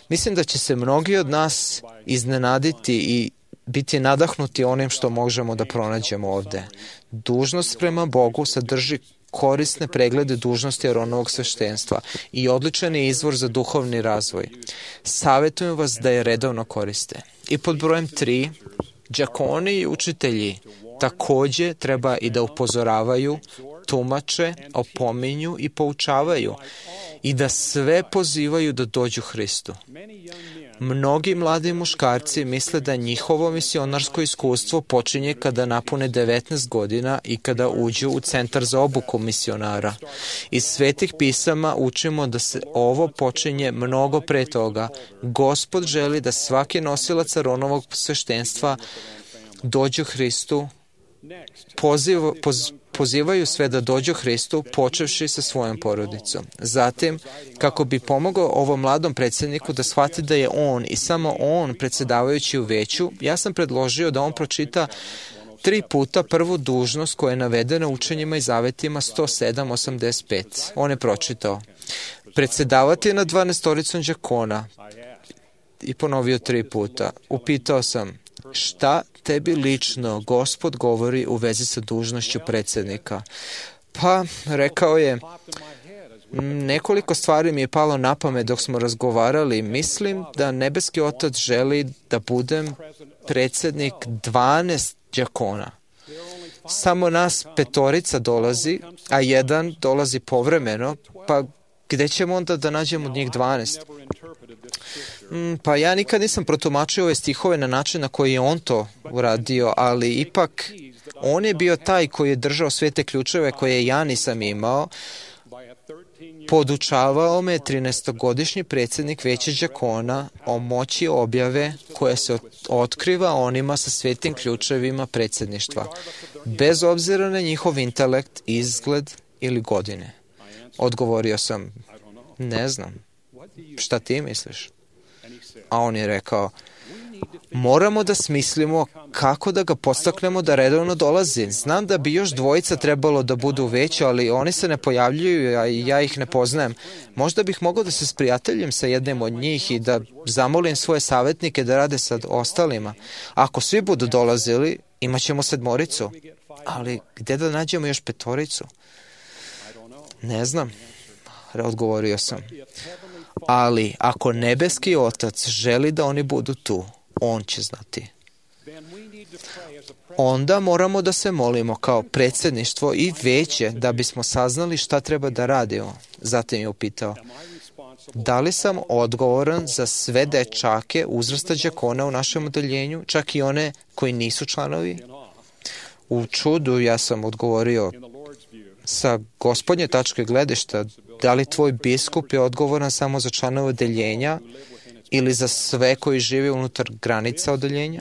Mislim da će se mnogi od nas iznenaditi i biti nadahnuti onim što možemo da pronađemo ovde. Dužnost prema Bogu sadrži korisne preglede dužnosti Aronovog sveštenstva i odličan je izvor za duhovni razvoj. Savetujem vas da je redovno koriste. I pod brojem tri, đakoni i učitelji također treba i da upozoravaju, tumače, opominju i poučavaju i da sve pozivaju da dođu Hristu. Mnogi mladi muškarci misle da njihovo misionarsko iskustvo počinje kada napune devetnaest godina i kada uđu u centar za obuku misionara. Iz Svetih pisama učimo da se ovo počinje mnogo pre toga. Gospod želi da svaki nosilac Aronovog sveštenstva dođu Hristu, poziv, poz, pozivaju sve da dođu Hristu, počevši sa svojom porodicom. Zatim, kako bi pomogao ovom mladom predsjedniku da shvati da je on i samo on predsjedavajući u veću, ja sam predložio da on pročita tri puta prvu dužnost koja je navedena u učenjima i zavetima sto sedam osamdeset pet. On je pročitao. Predsjedavati nad dvanaestoricom đakona i ponovio tri puta. Upitao sam, šta tebi lično Gospod govori u vezi sa dužnošću predsjednika? Pa, rekao je, nekoliko stvari mi je palo na pamet dok smo razgovarali. Mislim da nebeski Otac želi da budem predsjednik dvanaest đakona. Samo nas petorica dolazi, a jedan dolazi povremeno, pa gde ćemo onda da nađemo od njih dvanaest? Pa ja nikad nisam protumačio ove stihove na način na koji je on to uradio, ali ipak on je bio taj koji je držao sve te ključeve koje ja nisam imao. Podučavao me trinaestogodišnji predsjednik veća đakona o moći objave koje se otkriva onima sa svetim ključevima predsjedništva, bez obzira na njihov intelekt, izgled ili godine. Odgovorio sam, ne znam, šta ti misliš? A on je rekao, Moramo da smislimo kako da ga podstaknemo da redovno dolazi. Znam da bi još dvojica trebalo da budu veći, ali oni se ne pojavljuju, a ja ih ne poznajem. Možda bih mogao da se sprijateljim sa jednim od njih i da zamolim svoje savjetnike da rade sa ostalima. Ako svi budu dolazili, imat ćemo sedmoricu. Ali gde da nađemo još petoricu? Ne znam, odgovorio sam. Ali ako nebeski Otac želi da oni budu tu, On će znati. Onda moramo da se molimo kao predsjedništvo i veće da bismo saznali šta treba da radimo. Zatim je upitao, da li sam odgovoran za sve dečake uzrasta đakona u našem odeljenju, čak i one koji nisu članovi? U čudu ja sam odgovorio, sa gospodnje tačke gledišta, da li tvoj biskup je odgovoran samo za članove odeljenja ili za sve koji žive unutar granica odeljenja?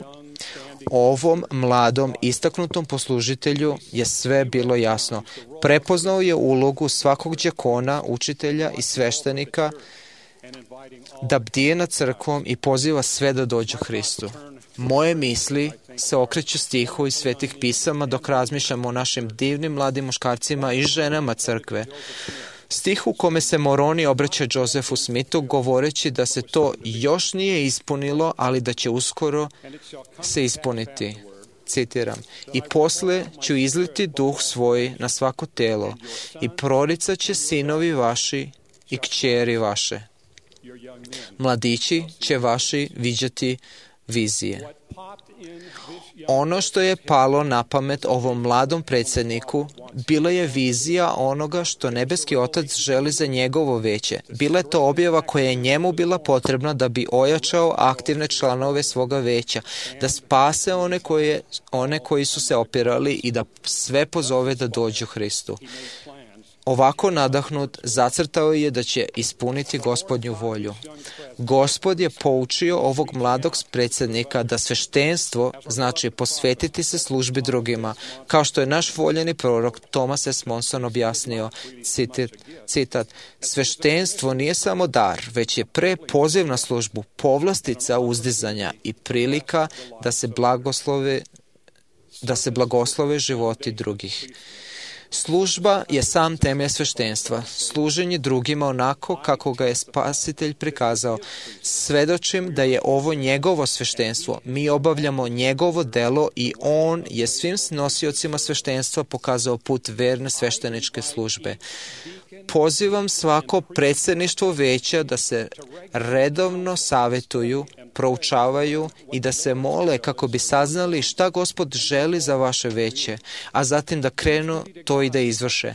Ovom mladom, istaknutom poslužitelju je sve bilo jasno. Prepoznao je ulogu svakog đakona, učitelja i sveštenika da bdije nad crkvom i poziva sve da dođu Hristu. Moje misli se okreću stihu iz svetih pisama dok razmišljamo o našim divnim mladim muškarcima i ženama crkve. Stih u kome se Moroni obraća Josefu Smithu govoreći da se to još nije ispunilo, ali da će uskoro se ispuniti. Citiram, i posle ću izliti duh svoj na svako telo i proricat će sinovi vaši i kćeri vaše. Mladići će vaši viđati vizije. Ono što je palo na pamet ovom mladom predsjedniku bila je vizija onoga što nebeski Otac želi za njegovo veće. Bila je to objava koja je njemu bila potrebna da bi ojačao aktivne članove svoga veća, da spase one, koje, one koji su se opirali i da sve pozove da dođu Hristu. Ovako nadahnut, zacrtao je da će ispuniti Gospodnju volju. Gospod je poučio ovog mladog predsjednika da sveštenstvo znači posvetiti se službi drugima, kao što je naš voljeni prorok Thomas S. Monson objasnio, citir, citat, sveštenstvo nije samo dar, već je pre poziv na službu, povlastica uzdizanja i prilika da se blagoslove, da se blagoslove životi drugih. Služba je sam temelj sveštenstva, služenje drugima onako kako ga je Spasitelj prikazao. Svedočim da je ovo njegovo sveštenstvo, mi obavljamo njegovo delo i on je svim nosiocima sveštenstva pokazao put verne svešteničke službe. Pozivam svako predsjedništvo veća da se redovno savetuju, proučavaju i da se mole kako bi saznali šta Gospod želi za vaše veće, a zatim da krenu to i da izvrše.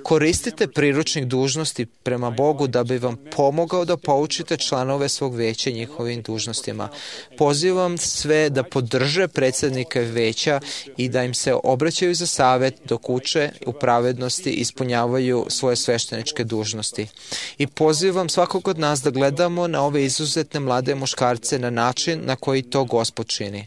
Koristite priručnik dužnosti prema Bogu da bi vam pomogao da poučite članove svog veća njihovim dužnostima. Pozivam sve da podrže predsjednike veća i da im se obraćaju za savet dok uče u pravednosti i ispunjavaju svoje svešteničke dužnosti. I pozivam svakog od nas da gledamo na ove izuzetne mlade muškarce na način na koji to Gospod čini.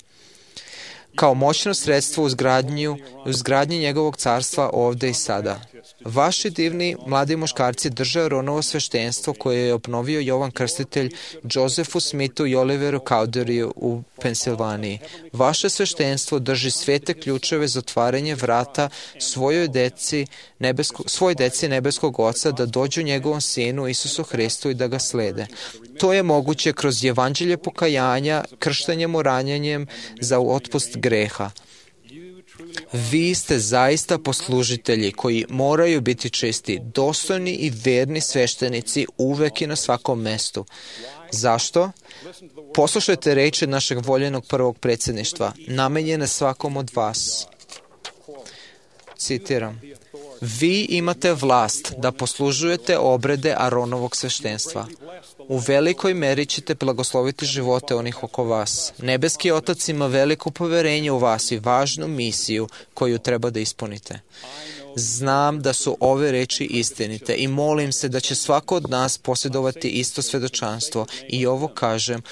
Kao moćno sredstvo u izgradnji, u izgradnji njegovog carstva ovde i sada. Vaši divni mladi muškarci drže Aronovo sveštenstvo koje je obnovio Jovan Krstitelj Josefu Smithu i Oliveru Cowderiju u Pensilvaniji. Vaše sveštenstvo drži svete ključeve za otvaranje vrata svojoj deci, nebesko, svoj deci nebeskog Oca da dođu njegovom Sinu Isusu Hristu i da ga slede. To je moguće kroz evanđelje pokajanja, krštenjem oranjanjem za otpust greha. Vi ste zaista poslužitelji koji moraju biti čisti, dostojni i verni sveštenici uvek i na svakom mestu. Zašto? Poslušajte reči našeg voljenog prvog predsjedništva, namenjene svakom od vas. Citiram. Vi imate vlast da poslužujete obrede Aronovog sveštenstva. U velikoj meri ćete blagosloviti živote onih oko vas. Nebeski Otac ima veliko poverenje u vas i važnu misiju koju treba da ispunite. Znam da su ove reči istinite i molim se da će svako od nas posjedovati isto svedočanstvo i ovo kažem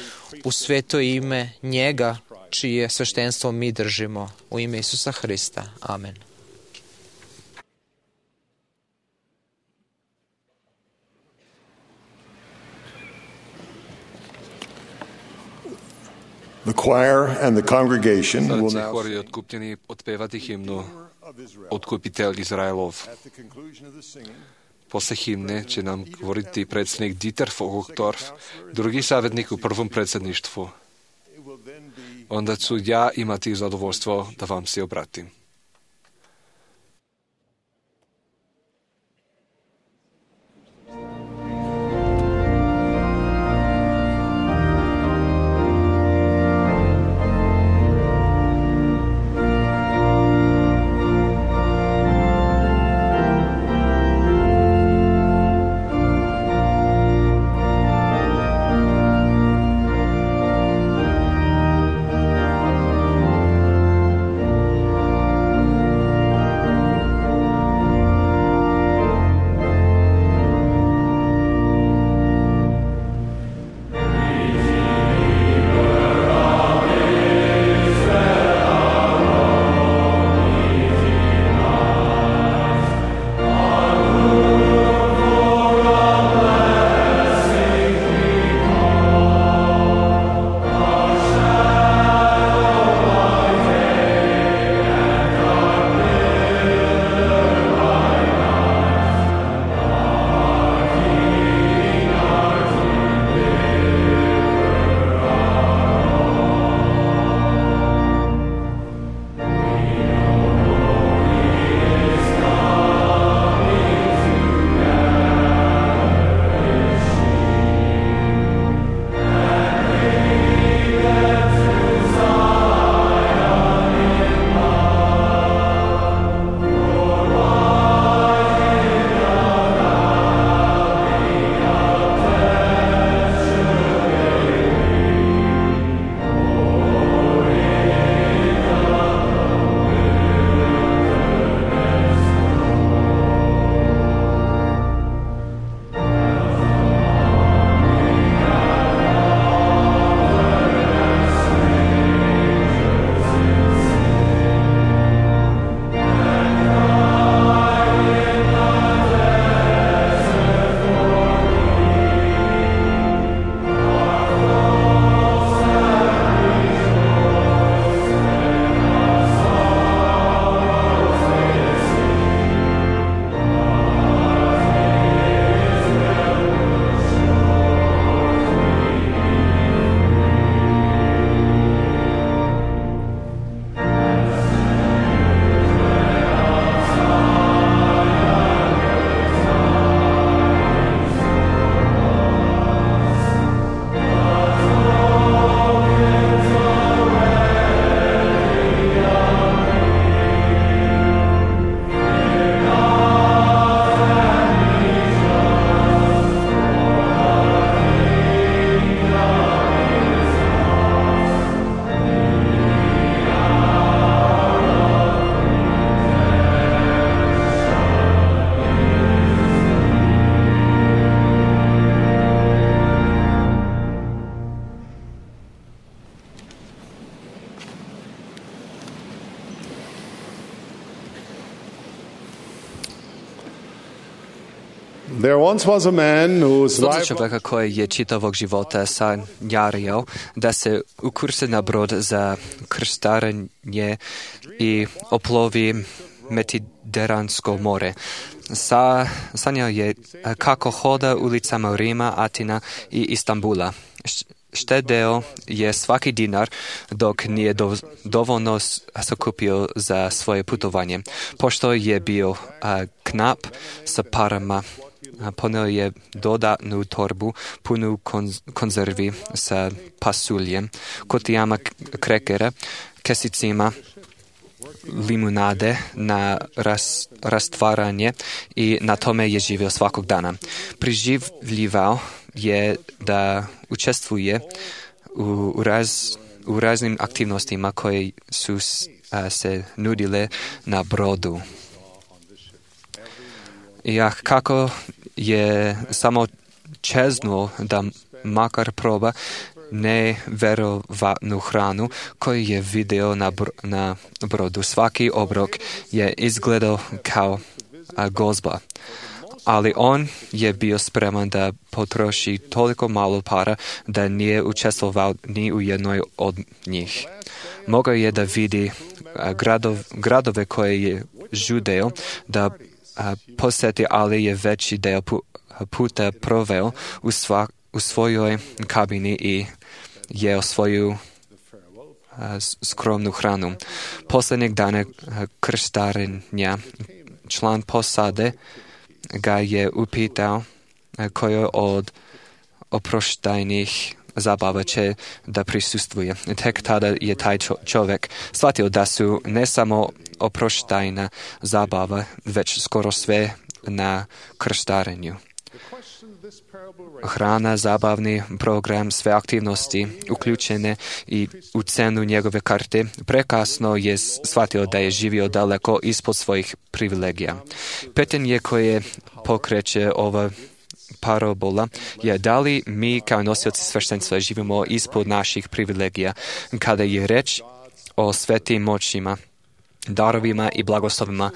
u sveto ime njega čije sveštenstvo mi držimo. U ime Isusa Hrista. Amen. The choir and the congregation will Сърце now хори откупени отпеват и химно Откупител Израилов. После химне će nam govoriti predsjednik Dieter Vogelsdorf, drugi savjetnik u prvom predsjedništvu. Onda ću ja imati zadovoljstvo da vam se obratim. There once was a man whose Този life човека, koji je čitavog života sanjario da se ukurse na brod za krstarenje i oplovi Mediteransko more. Sa, sanjao je kako hoda ulicama Rima, Atina i Istanbula. Štedeo je svaki dinar dok nije do, dovoljno sakupio za svoje putovanje. Pošto je bio a, knap sa parama, a, poneo je dodatnu torbu punu konz, konzervi sa pasuljem, kutijama krekera, kesicima, limunade na ras, rastvaranje i na tome je živio svakog dana. Priživljivao je da učestvuje u, raz, u raznim aktivnostima koje su a, se nudile na brodu. I a, kako je samo čeznuo da makar proba neverovatnu hranu koju je vidio na, br- na brodu. Svaki obrok je izgledao kao a, gozba. ali on je bio spreman da potroši toliko malo para da nije učestvovao ni u jednoj od njih. Mogao je da vidi gradov, gradove koje je žudeo da a, posjeti, ali je veći deo pu, puta proveo u, sva, u svojoj kabini i jeo svoju a, skromnu hranu. Posljednjeg dana krstarenja član posade ga je upitao koje od oproštajnih zabava će da prisustvuje. Tek tada je taj čovjek shvatio da su ne samo oproštajna zabava, već skoro sve na krstarenju. Hrana, zabavni program, sve aktivnosti uključene i u cenu njegove karte, prekasno je shvatio da je živio daleko ispod svojih privilegija. Pitanje koje pokreće ova parabola je da li mi kao nosioci sveštenstva živimo ispod naših privilegija kada je reč o svetim moćima, darovima i blagoslovima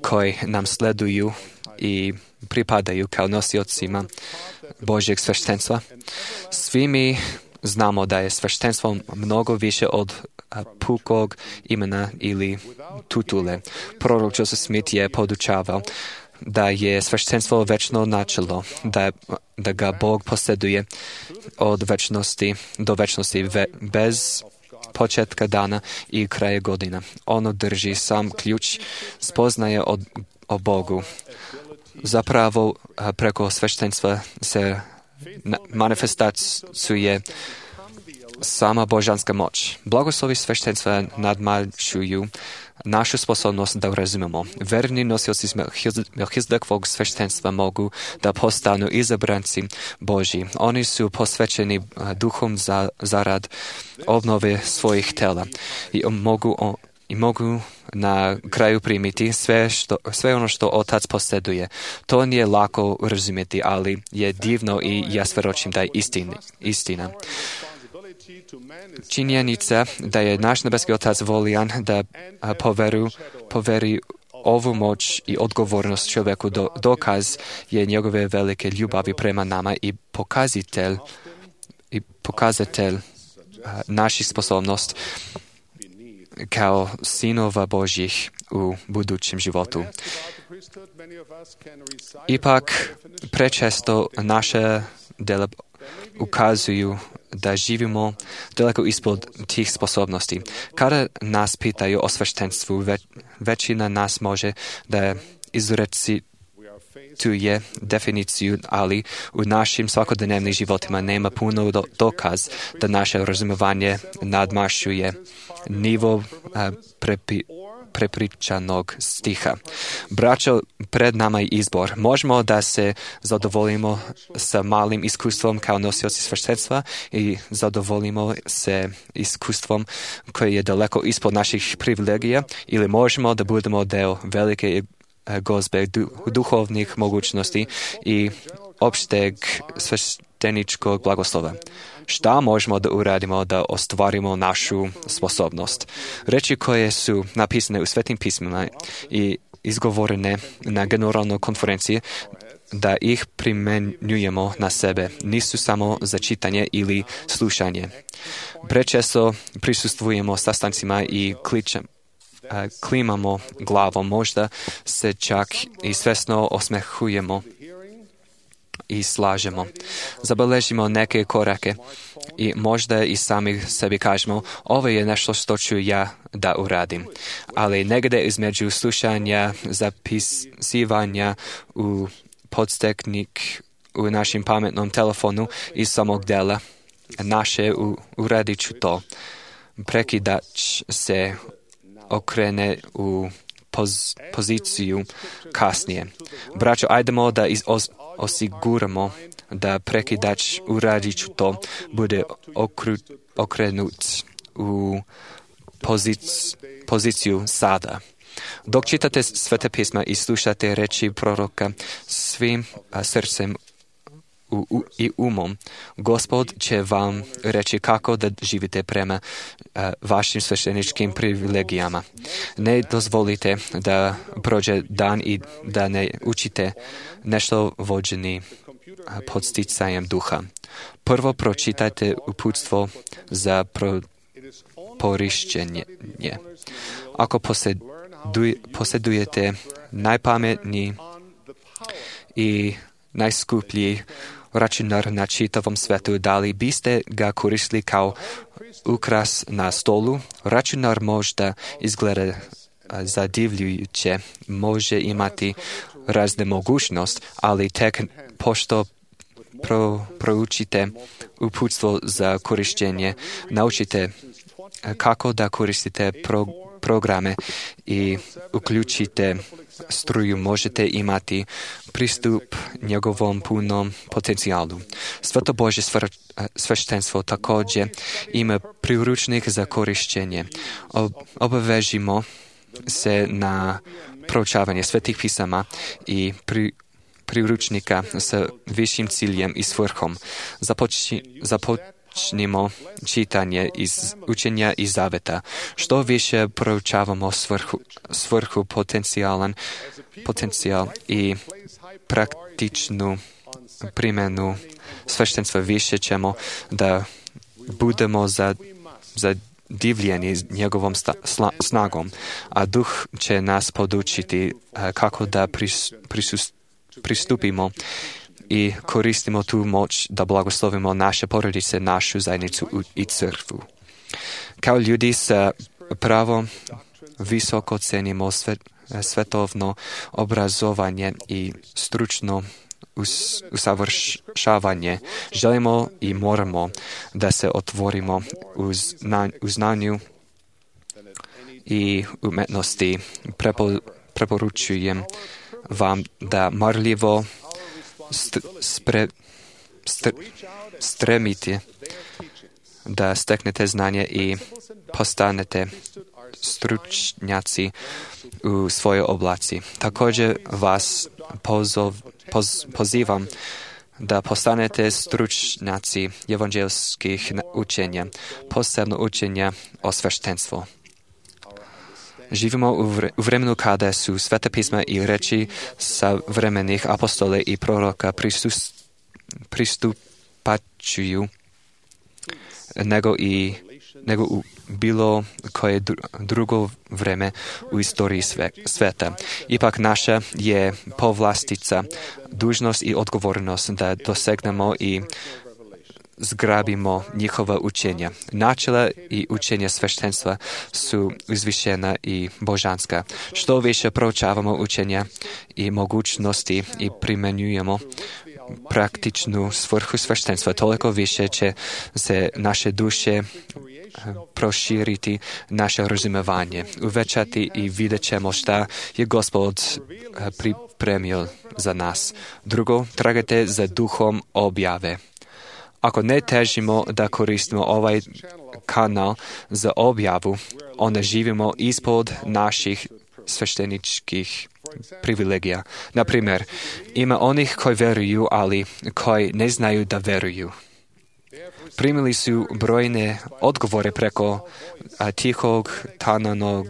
koji nam sleduju i pripadaju kao nosiocima Božjeg sveštenstva. Svi mi znamo da je sveštenstvo mnogo više od pukog imena ili tutule. Prorok Joseph Smith je podučavao da je sveštenstvo večno načelo, da, da ga Bog posjeduje od večnosti do večnosti ve, bez početka dana i kraja godina. Ono drži sam ključ spoznaje od, o Bogu. Zapravo preko sveštenstva se manifestacuje sama božanska moć. Blagoslovi sveštenstva nadmašuju našu sposobnost da razumemo. Verni nosioci Melchizedekvog sveštenstva mogu da postanu izabranci Božji. Oni su posvećeni duhom za, zarad obnove svojih tela i mogu, i mogu na kraju primiti sve, što, sve ono što Otac posjeduje. To nije lako razumjeti, ali je divno i ja svedočim da je istin, istina. Činjenica da je naš nebeski Otac voljan da poveru, poveri ovu moć i odgovornost čovjeku do, dokaz je njegove velike ljubavi prema nama i pokazatelj, i pokazatelj a, naših sposobnost kao sinova Božjih u budućem životu. Ipak, prečesto naše dela ukazuju da živimo daleko ispod tih sposobnosti. Kada nas pitaju o sveštenstvu, ve, većina nas može da izrecituje definiciju, ali u našim svakodnevnim životima nema puno do, dokaz da naše razumevanje nadmašuje nivo a, prepi, prepričanog stiha. Braćo, pred nama je izbor. Možemo da se zadovoljimo sa malim iskustvom kao nosioci sveštenstva i zadovoljimo se iskustvom koje je daleko ispod naših privilegija, ili možemo da budemo deo velike gozbe duhovnih mogućnosti i opšteg svešteničkog blagoslova. Šta možemo da uradimo da ostvarimo našu sposobnost? Reči koje su napisane u svetim pismima i izgovorene na generalnoj konferenciji, da ih primenjujemo na sebe, nisu samo za čitanje ili slušanje. Prečesto prisustvujemo sastancima i kličem, klimamo glavom, možda se čak i svesno osmehujemo i slažemo. Zabeležimo neke korake i možda i sami sebi kažemo, ovo je nešto što ću ja da uradim. Ali negdje između slušanja, zapisivanja u podsteknik u našem pametnom telefonu i samog dela naše u, uradit ću to. Prekidač se okrene u poz, poziciju kasnije. Braćo, ajdemo da iz, os, osiguramo da prekidač uradit ću to bude okru, okrenut u pozic, poziciju sada. Dok čitate Svete pisma i slušate reči proroka svim a, srcem u, u, i umom, Gospod će vam reći kako da živite prema a, vašim svešteničkim privilegijama. Ne dozvolite da prođe dan i da ne učite nešto vođeni pod sticajem duha. Prvo pročitajte uputstvo za pro, porišćenje. Ako posjeduj, posjedujete najpametniji i najskuplji računar na čitavom svetu, da li biste ga koristili kao ukras na stolu? Računar možda izgleda zadivljujuće, može imati razne mogućnosti, ali tek pošto pro, proučite uputstvo za korištenje, naučite kako da koristite pro, programe i uključite struju, možete imati pristup njegovom punom potencijalu. Sveto Božje sveštenstvo također ima priručnik za korištenje. Obavežimo se na proučavanje svetih pisama i pri, priručnika sa višim ciljem i svrhom. Započni, započnimo čitanje iz učenja i zaveta. Što više proučavamo svrhu, svrhu potencijalan potencijal i praktičnu primjenu sveštenstva, više ćemo da budemo za, za divljeni njegovom sta, sla, snagom, a duh će nas podučiti kako da pris, prisus, pristupimo i koristimo tu moć da blagoslovimo naše porodice, našu zajednicu i crkvu. Kao ljudi sa pravom visoko cenimo sve, svetovno obrazovanje i stručno us, usavršavanje. Želimo i moramo da se otvorimo u, zna, u znanju i umetnosti. Prepo, preporučujem vam da marljivo st, spre, st, stremite da steknete znanje i postanete stručnjaci u svojoj oblaci. Također vas pozov, poz, pozivam da postanete stručnjaci evanđelskih učenja, posebno učenja o sveštenstvu. Živimo u vremenu kada su sveta pisma i reči sa vremenih apostole i proroka prisus, pristupačuju nego i nego u bilo koje drugo vreme u istoriji sve, sveta. Ipak naša je povlastica, dužnost i odgovornost da dosegnemo i zgrabimo njihova učenja. Načela i učenja sveštenstva su uzvišena i božanska. Što više proučavamo učenja i mogućnosti i primenjujemo praktičnu svrhu sveštenstva, toliko više će se naše duše proširiti, naše razumevanje, uvećati i vidjet ćemo šta je Gospod pripremio za nas. Drugo, tragajte za duhom objave. Ako ne težimo da koristimo ovaj kanal za objavu, onda živimo ispod naših svešteničkih privilegija. Na primjer, ima onih koji veruju, ali koji ne znaju da veruju. Primili su brojne odgovore preko a, tihog, tananog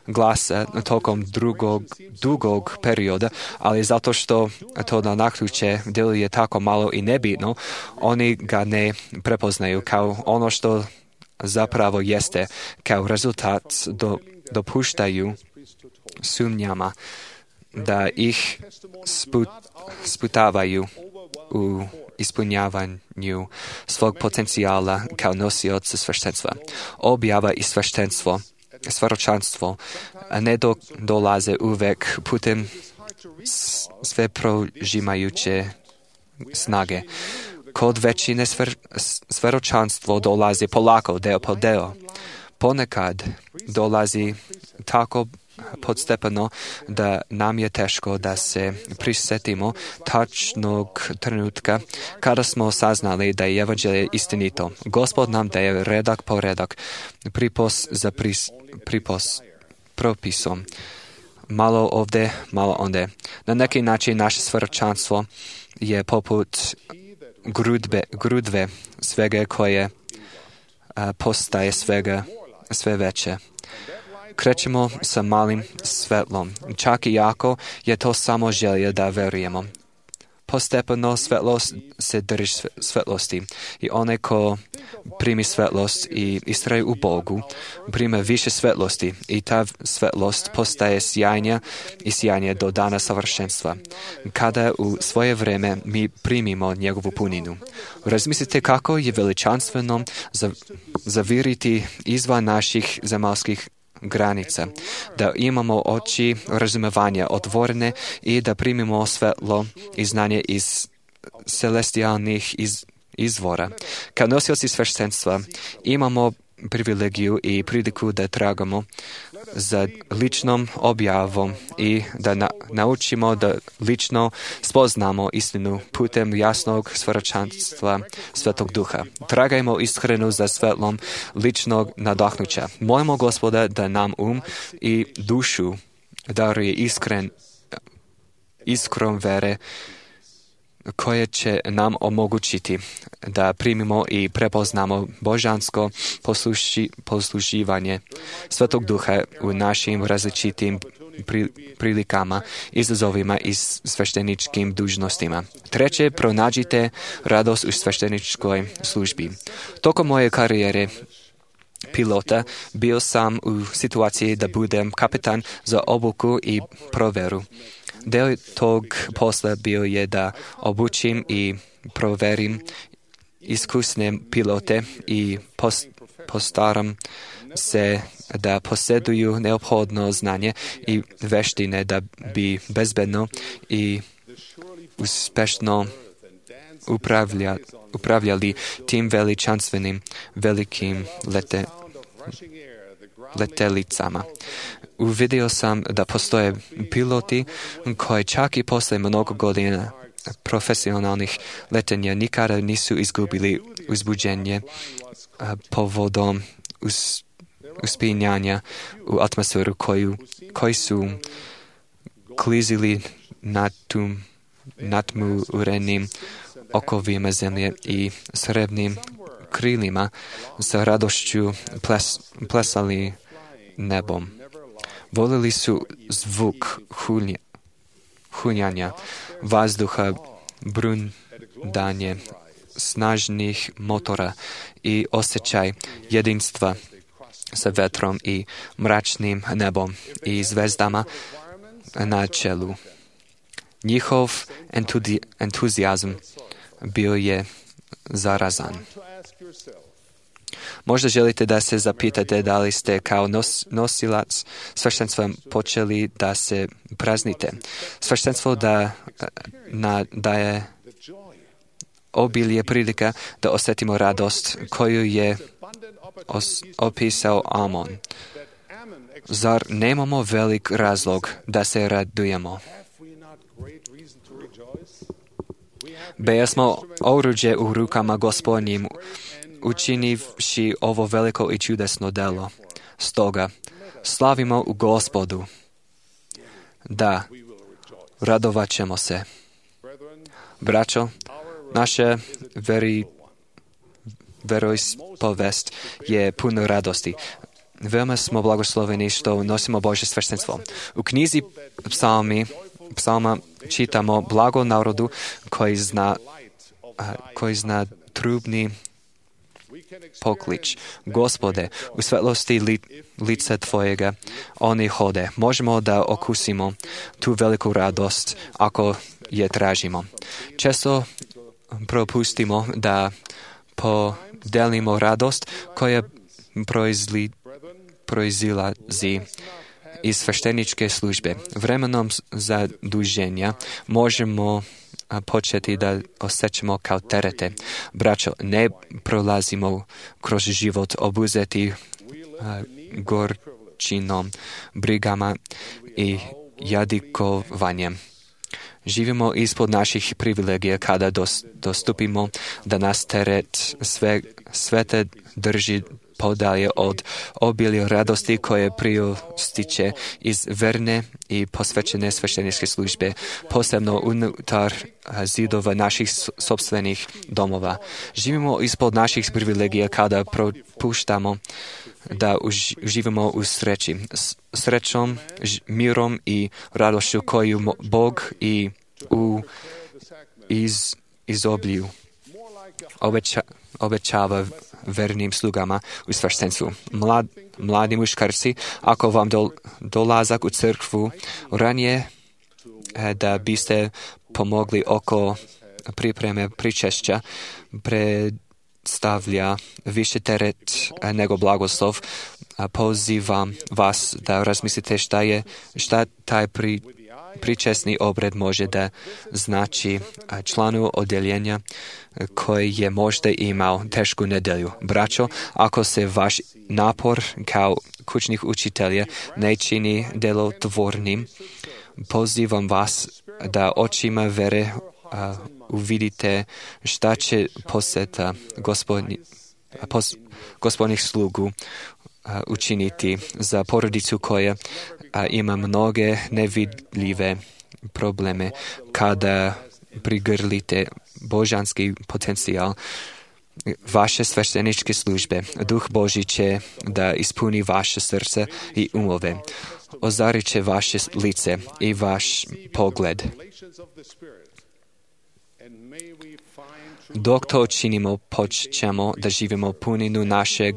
glasa tokom drugog, dugog perioda, ali zato što to na naključje djeluje tako malo i nebitno, oni ga ne prepoznaju kao ono što zapravo jeste, kao rezultat do, dopuštaju sumnjama da ih sput, sputavaju u ispunjavanju svog potencijala kao nosioca sveštenstva. Objava i sveštenstvo, svjedočanstvo ne do, dolaze uvek putem sve prožimajuće snage. Kod većine svjedočanstvo dolazi polako, deo po deo. Ponekad dolazi tako podstepeno da nam je teško da se prisjetimo tačnog trenutka kada smo saznali da je evanđelje istinito. Gospod nam daje redak po redak, pripos za pris, pripos, propisom. Malo ovdje, malo onde. Na neki način naše svjedočanstvo je poput grudbe, grudve svega koje a, postaje svega sve veće. krećemo sa malim svetlom. Čak i ako je to samo želja da verujemo. Postepeno svetlost se drži svetlosti i onaj ko primi svetlost i istraje u Bogu, prima više svetlosti i ta svetlost postaje sjajnija i sjajnija do dana savršenstva, kada u svoje vreme mi primimo njegovu puninu. Razmislite kako je veličanstveno zaviriti izvan naših zemaljskih granica, da imamo oči razumevanja otvorene i da primimo svetlo i znanje iz celestijalnih iz, izvora. Kao nosioci sveštenstva imamo privilegiju i priliku da tragamo za ličnom objavom i da na, naučimo da lično spoznamo istinu putem jasnog svjedočanstva Svetog Duha. Tragajmo iskreno za svetlom ličnog nadahnuća. Molimo Gospoda da nam um i dušu daruje iskren, iskrom vere koje će nam omogućiti da primimo i prepoznamo božansko posluši, posluživanje Svetog Duha u našim različitim pri, prilikama, izazovima i svešteničkim dužnostima. Treće, pronađite radost u svešteničkoj službi. Tokom moje karijere pilota bio sam u situaciji da budem kapitan za obuku i proveru. Deo tog posla bio je da obučim i proverim iskusne pilote i post, postaram se da posjeduju neophodno znanje i veštine da bi bezbedno i uspešno upravlja, upravljali tim veličanstvenim velikim lete, letelicama. Uvidio sam da postoje piloti koji čak i posle mnogo godina profesionalnih letenja nikada nisu izgubili uzbuđenje povodom us, uspinjanja u atmosferu koju, koji su klizili nad tum, natmurenim okovima zemlje i srebrnim krilima sa radošću ples, plesali nebom. Volili su zvuk hulja, hunjanja, vazduha, brundanje snažnih motora i osjećaj jedinstva sa vetrom i mračnim nebom i zvezdama na čelu. Njihov entudi, entuzijazam bio je zarazan. Možda želite da se zapitate da li ste kao nos, nosilac sveštenstva počeli da se praznite. Sveštenstvo da, na, da je obilje prilika da osjetimo radost koju je os, opisao Amon. Zar nemamo velik razlog da se radujemo? Beja smo oruđe u rukama Gospodnjim, učinivši ovo veliko i čudesno delo. Stoga, slavimo u Gospodu. Da, radovat ćemo se. Braćo, naša veri, veroispovest je puno radosti. Veoma smo blagosloveni što nosimo Božje sveštenstvo. U knjizi psalmi, psalma čitamo blago narodu koji zna, koji zna trubni poklič. Gospode, u svetlosti li, lica Tvojega oni hode. Možemo da okusimo tu veliku radost ako je tražimo. Često propustimo da podelimo radost koja proizli, proizilazi iz svešteničke službe. Vremenom zaduženja možemo početi da osjećamo kao terete. Braćo, ne prolazimo kroz život obuzeti gorčinom, brigama i jadikovanjem. Živimo ispod naših privilegija kada dos, dostupimo da nas teret sve, svete drži podalje od obilja radosti koje prističe iz verne i posvećene svešteničke službe, posebno unutar zidova naših sopstvenih domova. Živimo ispod naših privilegija kada propuštamo da uživamo u sreći, srećom, mirom i radošću koju Bog i u iz, izoblju obeća, obećava vernim slugama u sveštenstvu. Mlad, mladi muškarci, ako vam do, dolazak u crkvu ranije da biste pomogli oko pripreme pričešća, predstavlja više teret nego blagoslov. Pozivam vas da razmislite šta je, šta taj pri, pričesni obred može da znači članu odjeljenja koji je možda imao tešku nedelju. Braćo, ako se vaš napor kao kućnih učitelja ne čini delotvornim, pozivam vas da očima vere a, uvidite šta će poseta gospodni, pos, gospodnih slugu a, učiniti za porodicu koja a, ima mnoge nevidljive probleme. Kada prigrlite božanski potencijal vaše svešteničke službe, Duh Božji će da ispuni vaše srce i umove. Ozarit će vaše lice i vaš pogled. Dok to činimo, počnemo da živimo puninu našeg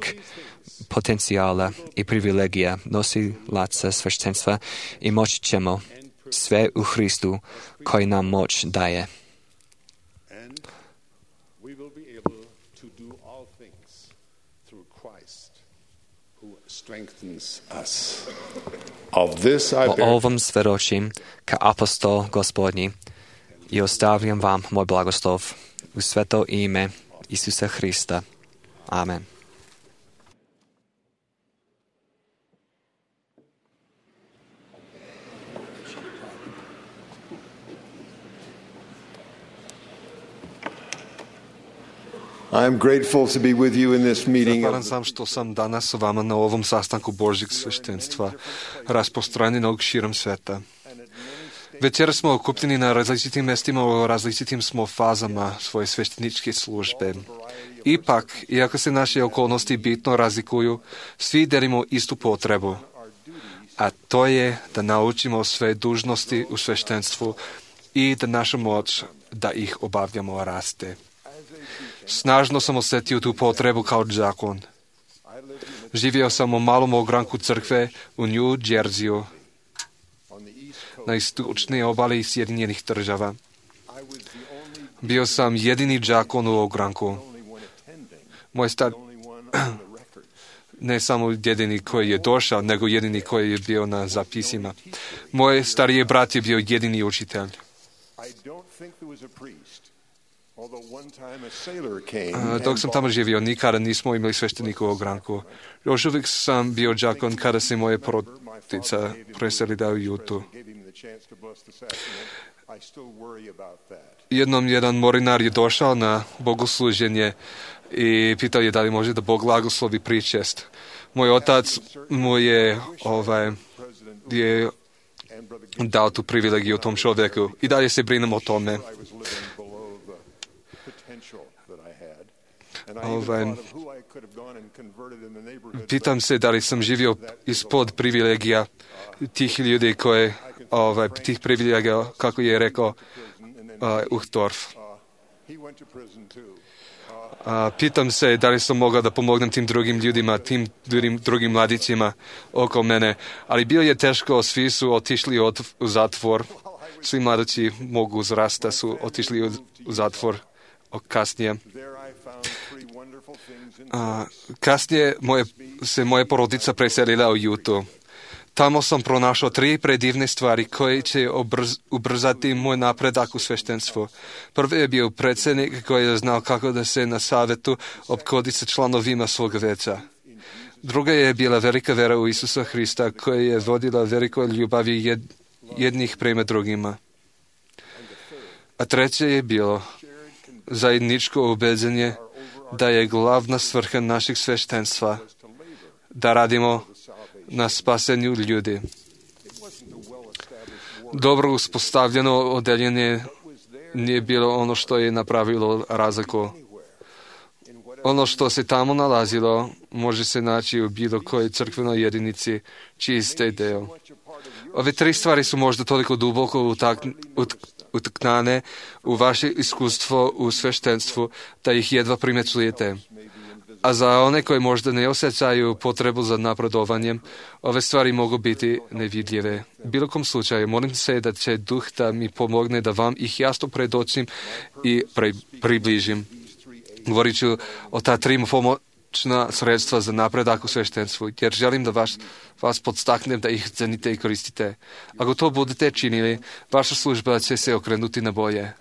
potencijala i privilegija nosilaca sveštenstva i moći ćemo sve u Hristu koji nam moć daje. O ovom svedočim ka apostol Gospodnji i ostavljam vam moj blagoslov u sveto ime Isusa Hrista. Amen. I'm grateful to be with you in this meeting. Zahvalan sam što sam danas s vama na ovom sastanku Božjeg sveštenstva, rasprostranjenog širom sveta. Večera smo okupljeni na različitim mestima, u različitim smo fazama svoje svešteničke službe. Ipak, iako se naše okolnosti bitno razlikuju, svi delimo istu potrebu, a to je da naučimo sve dužnosti u sveštenstvu i da naša moć da ih obavljamo raste. Snažno sam osjetio tu potrebu kao đakon. Živio sam u malom ogranku crkve u New Jerseyu, na istočnoj obali Sjedinjenih država. Bio sam jedini đakon u ogranku. Moj star... ne samo jedini koji je došao, nego jedini koji je bio na zapisima. Moj stariji brat je bio jedini učitelj. Dok sam tamo živio, nikada nismo imali sveštenika u ogranku. Još uvijek sam bio đakon kada se moje porodica preselila u Jutu. Jednom jedan morinar je došao na bogosluženje i pitao je da li može da Bog blagoslovi pričest. Moj otac mu je, ovaj, je dao tu privilegiju tom čovjeku i dalje se brinem o tome. Ovaj, pitam se da li sam živio ispod privilegija tih ljudi koje, ovaj, tih privilegija, kako je rekao uh, Uchtdorf. Uh, pitam se da li sam mogao da pomognem tim drugim ljudima, tim drugim, drugim mladićima oko mene, ali bilo je teško, svi su otišli od, u zatvor, svi mladići mogu uzrasta su otišli u, u zatvor kasnije. Uh, kasnije moje, se moja porodica preselila u Jutu. Tamo sam pronašao tri predivne stvari koje će obrz, ubrzati moj napredak u sveštenstvu. Prvi je bio predsjednik koji je znao kako da se na savjetu opkodi sa članovima svog veća. Druga je bila velika vera u Isusa Hrista koja je vodila velikoj ljubavi jed, jednih prema drugima. A treće je bilo zajedničko ubeđenje da je glavna svrha našeg sveštenstva da radimo na spasenju ljudi. Dobro uspostavljeno odeljenje nije bilo ono što je napravilo razliku. Ono što se tamo nalazilo može se naći u bilo kojoj crkvenoj jedinici čiji ste deo. Ove tri stvari su možda toliko duboko utak, ut, utknane u vaše iskustvo u sveštenstvu da ih jedva primećujete. A za one koji možda ne osjećaju potrebu za napredovanjem, ove stvari mogu biti nevidljive. U bilo kom slučaju, molim se da će Duh da mi pomogne da vam ih jasno predočim i pre, približim. Govorit ću o ta tri pomoćna sredstva za napredak u sveštenstvu, jer želim da vas, vas podstaknem da ih cenite i koristite. Ako to budete činili, vaša služba će se okrenuti na bolje.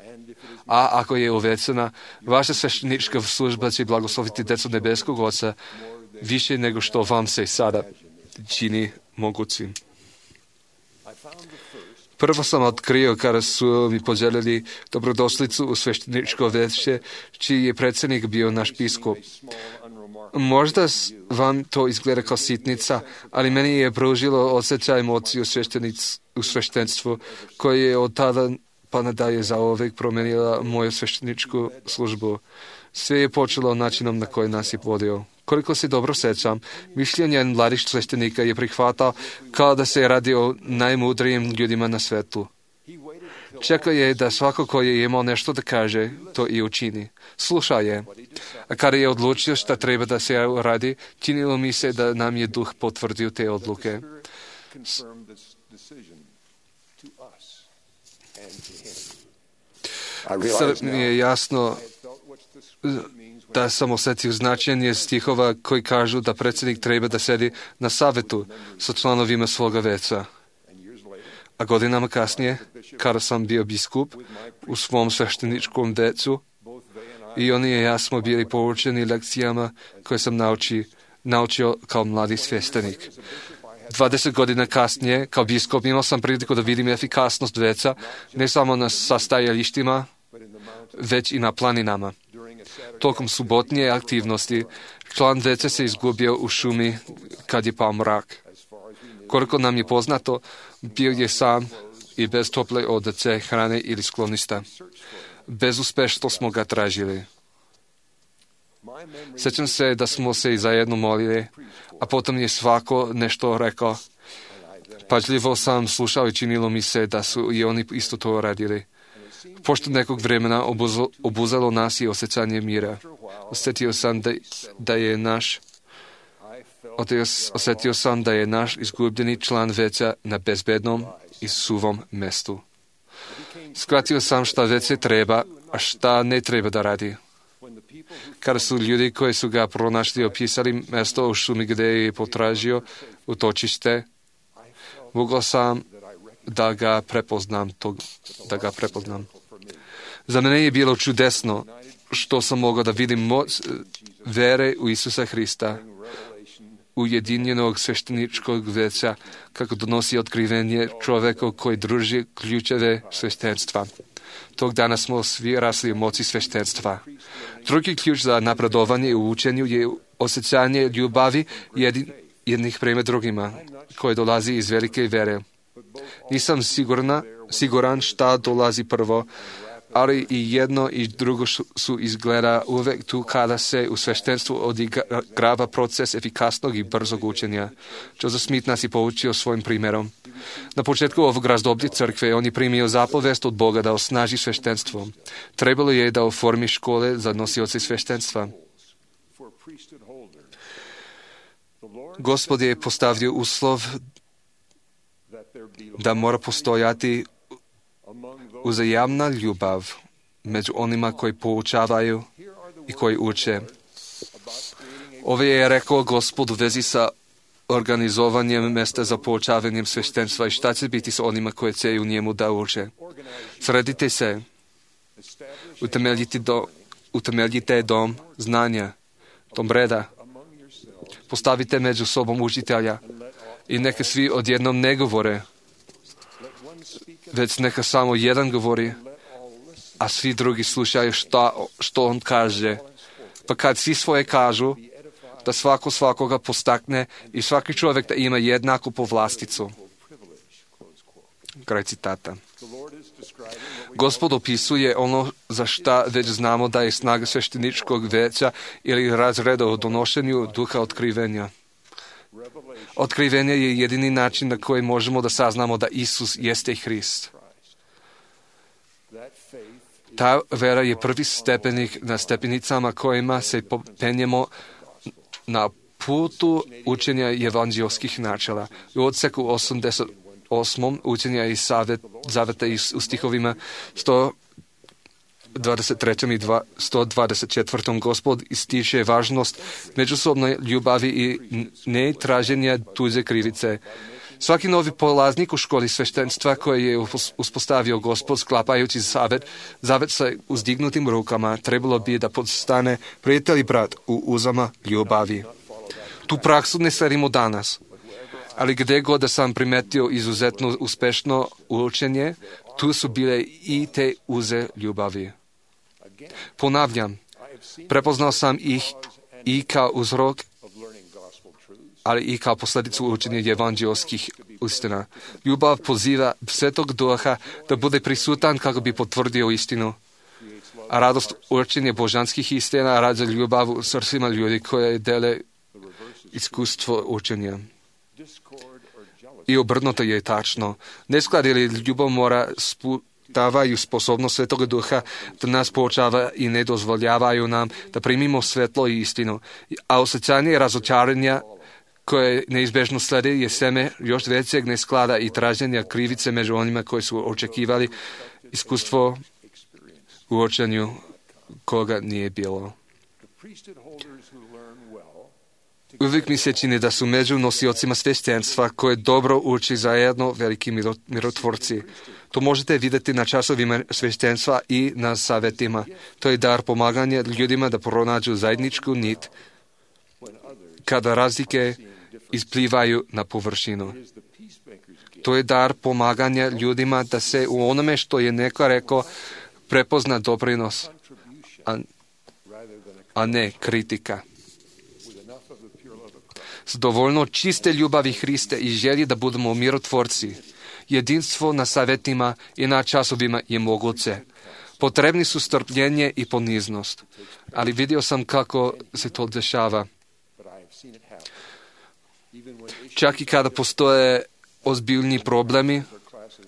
A ako je uvećana, vaša sveštenička služba će blagosloviti decu nebeskog Oca više nego što vam se sada čini mogućim. Prvo sam otkrio kada su mi poželjeli dobrodošlicu u svešteničko veće, čiji je predsjednik bio naš biskup. Možda vam to izgleda kao sitnica, ali meni je pružilo osjećaj moći u sveštenstvu, koje je od tada pa nadalje zauvek promenila moju svešteničku službu. Sve je počelo načinom na koji nas je vodio. Koliko se dobro sećam, mišljenje mladih sveštenika je prihvatao kao da se radi o najmudrijim ljudima na svetu. Čekao je da svako ko je imao nešto da kaže, to i učini. Slušao je. A kada je odlučio šta treba da se radi, činilo mi se da nam je Duh potvrdio te odluke. Sad mi je jasno da sam osjetio značenje stihova koji kažu da predsjednik treba da sedi na savetu sa članovima svoga veća. A godinama kasnije, kada sam bio biskup u svom svešteničkom veću, i oni i ja smo bili poučeni lekcijama koje sam nauči, naučio kao mladi sveštenik. dvadeset godina kasnije, kao biskup, imao sam priliku da vidim efikasnost veća, ne samo na sastajalištima, već i na planinama. Tokom subotnje aktivnosti, član veća se izgubio u šumi kad je pao mrak. Koliko nam je poznato, bio je sam i bez tople odeće, hrane ili skloništa. Bezuspešno smo ga tražili. Sjećam se da smo se i zajedno molili, a potom je svako nešto rekao. Pažljivo sam slušao i činilo mi se da su i oni isto to radili. Pošto nekog vremena obuzalo, obuzalo nas i osjećanje mira. Osjetio sam da, da je naš osjetio sam da je naš izgubljeni član veća na bezbednom i suvom mestu. Shvatio sam šta veće treba, a šta ne treba da radi. Kada su ljudi koji su ga pronašli opisali mesto u šumi gde je potražio utočište, mogao sam da ga prepoznam, to, da ga prepoznam. Za mene je bilo čudesno što sam mogao da vidim moć vere u Isusa Hrista, ujedinjenog svešteničkog veća, kako donosi otkrivenje čoveku koji druži ključeve sveštenstva. Tog dana smo svi rasli u moći sveštenstva. Drugi ključ za napredovanje u učenju je osjećanje ljubavi jedin, jednih prema drugima, koje dolazi iz velike vere. Nisam sigurna, siguran šta dolazi prvo, ali i jedno i drugo su izgleda uvek tu kada se u sveštenstvu odigrava proces efikasnog i brzog učenja. Joseph Smith nas je poučio svojim primjerom. Na početku ovog razdoblja crkve on je primio zapovest od Boga da osnaži sveštenstvo. Trebalo je da oformi škole za nosioce sveštenstva. Gospod je postavio uslov da mora postojati uzajamna ljubav među onima koji poučavaju i koji uče. Ovo je rekao Gospod u vezi sa organizovanjem mesta za poučavanjem sveštenstva i šta će biti sa onima koji će u njemu da uče. Sredite se, utemeljite, do, utemeljite dom znanja, dom reda. Postavite među sobom učitelja i neka svi odjednom ne govore, već neka samo jedan govori, a svi drugi slušaju šta, što on kaže. pa kad svi svoje kažu, da svako svakoga postakne i svaki čovjek da ima jednaku povlasticu. Kraj citata. Gospod opisuje ono za šta već znamo da je snaga svešteničkog veća ili razreda u donošenju duha otkrivenja. Otkrivenje je jedini način na koji možemo da saznamo da Isus jeste Hrist. Ta vera je prvi stepenik na stepenicama kojima se penjemo na putu učenja evanđelskih načela. U odseku osamdeset osmom učenja i savet, zaveta u stihovima sto dvadeset tri i sto dvadeset četiri Gospod ističe važnost međusobne ljubavi i ne traženja tuđe krivice. Svaki novi polaznik u školi sveštenstva koje je uspostavio Gospod sklapajući zavet, zavet sa uzdignutim rukama, trebalo bi da postane prijatelj i brat u uzama ljubavi. Tu praksu ne sledimo danas, ali gdje god da sam primetio izuzetno uspešno učenje, tu su bile i te uze ljubavi. Ponavljam, prepoznao sam ih i kao uzrok, ali i kao posljedicu učenja evanđelskih istina. Ljubav poziva Svetog Duha da bude prisutan kako bi potvrdio istinu. A radost učenja božanskih istina rađa ljubav u srcima ljudi koje dele iskustvo učenja. I obrnuto je tačno. Nesklad ili ljubav mora sputavaju sposobnost Svetog Duha da nas poučava i ne dozvoljavaju nam da primimo svetlo i istinu. A osjećanje razočaranja koje neizbežno sledi je seme još većeg nesklada i traženja krivice među onima koji su očekivali iskustvo u učenju koga nije bilo. Uvijek mi se čini da su među nosiocima sveštenstva koje dobro uči zajedno veliki mirotvorci. To možete vidjeti na časovima sveštenstva i na savjetima. To je dar pomaganja ljudima da pronađu zajedničku nit kada razlike isplivaju na površinu. To je dar pomaganja ljudima da se u onome što je neko rekao prepozna doprinos, a, a ne kritika. S dovoljno čiste ljubavi Hriste i želji da budemo mirotvorci, jedinstvo na savjetima i na časovima je moguće. Potrebni su strpljenje i poniznost, ali vidio sam kako se to dešava. Čak i kada postoje ozbiljni problemi,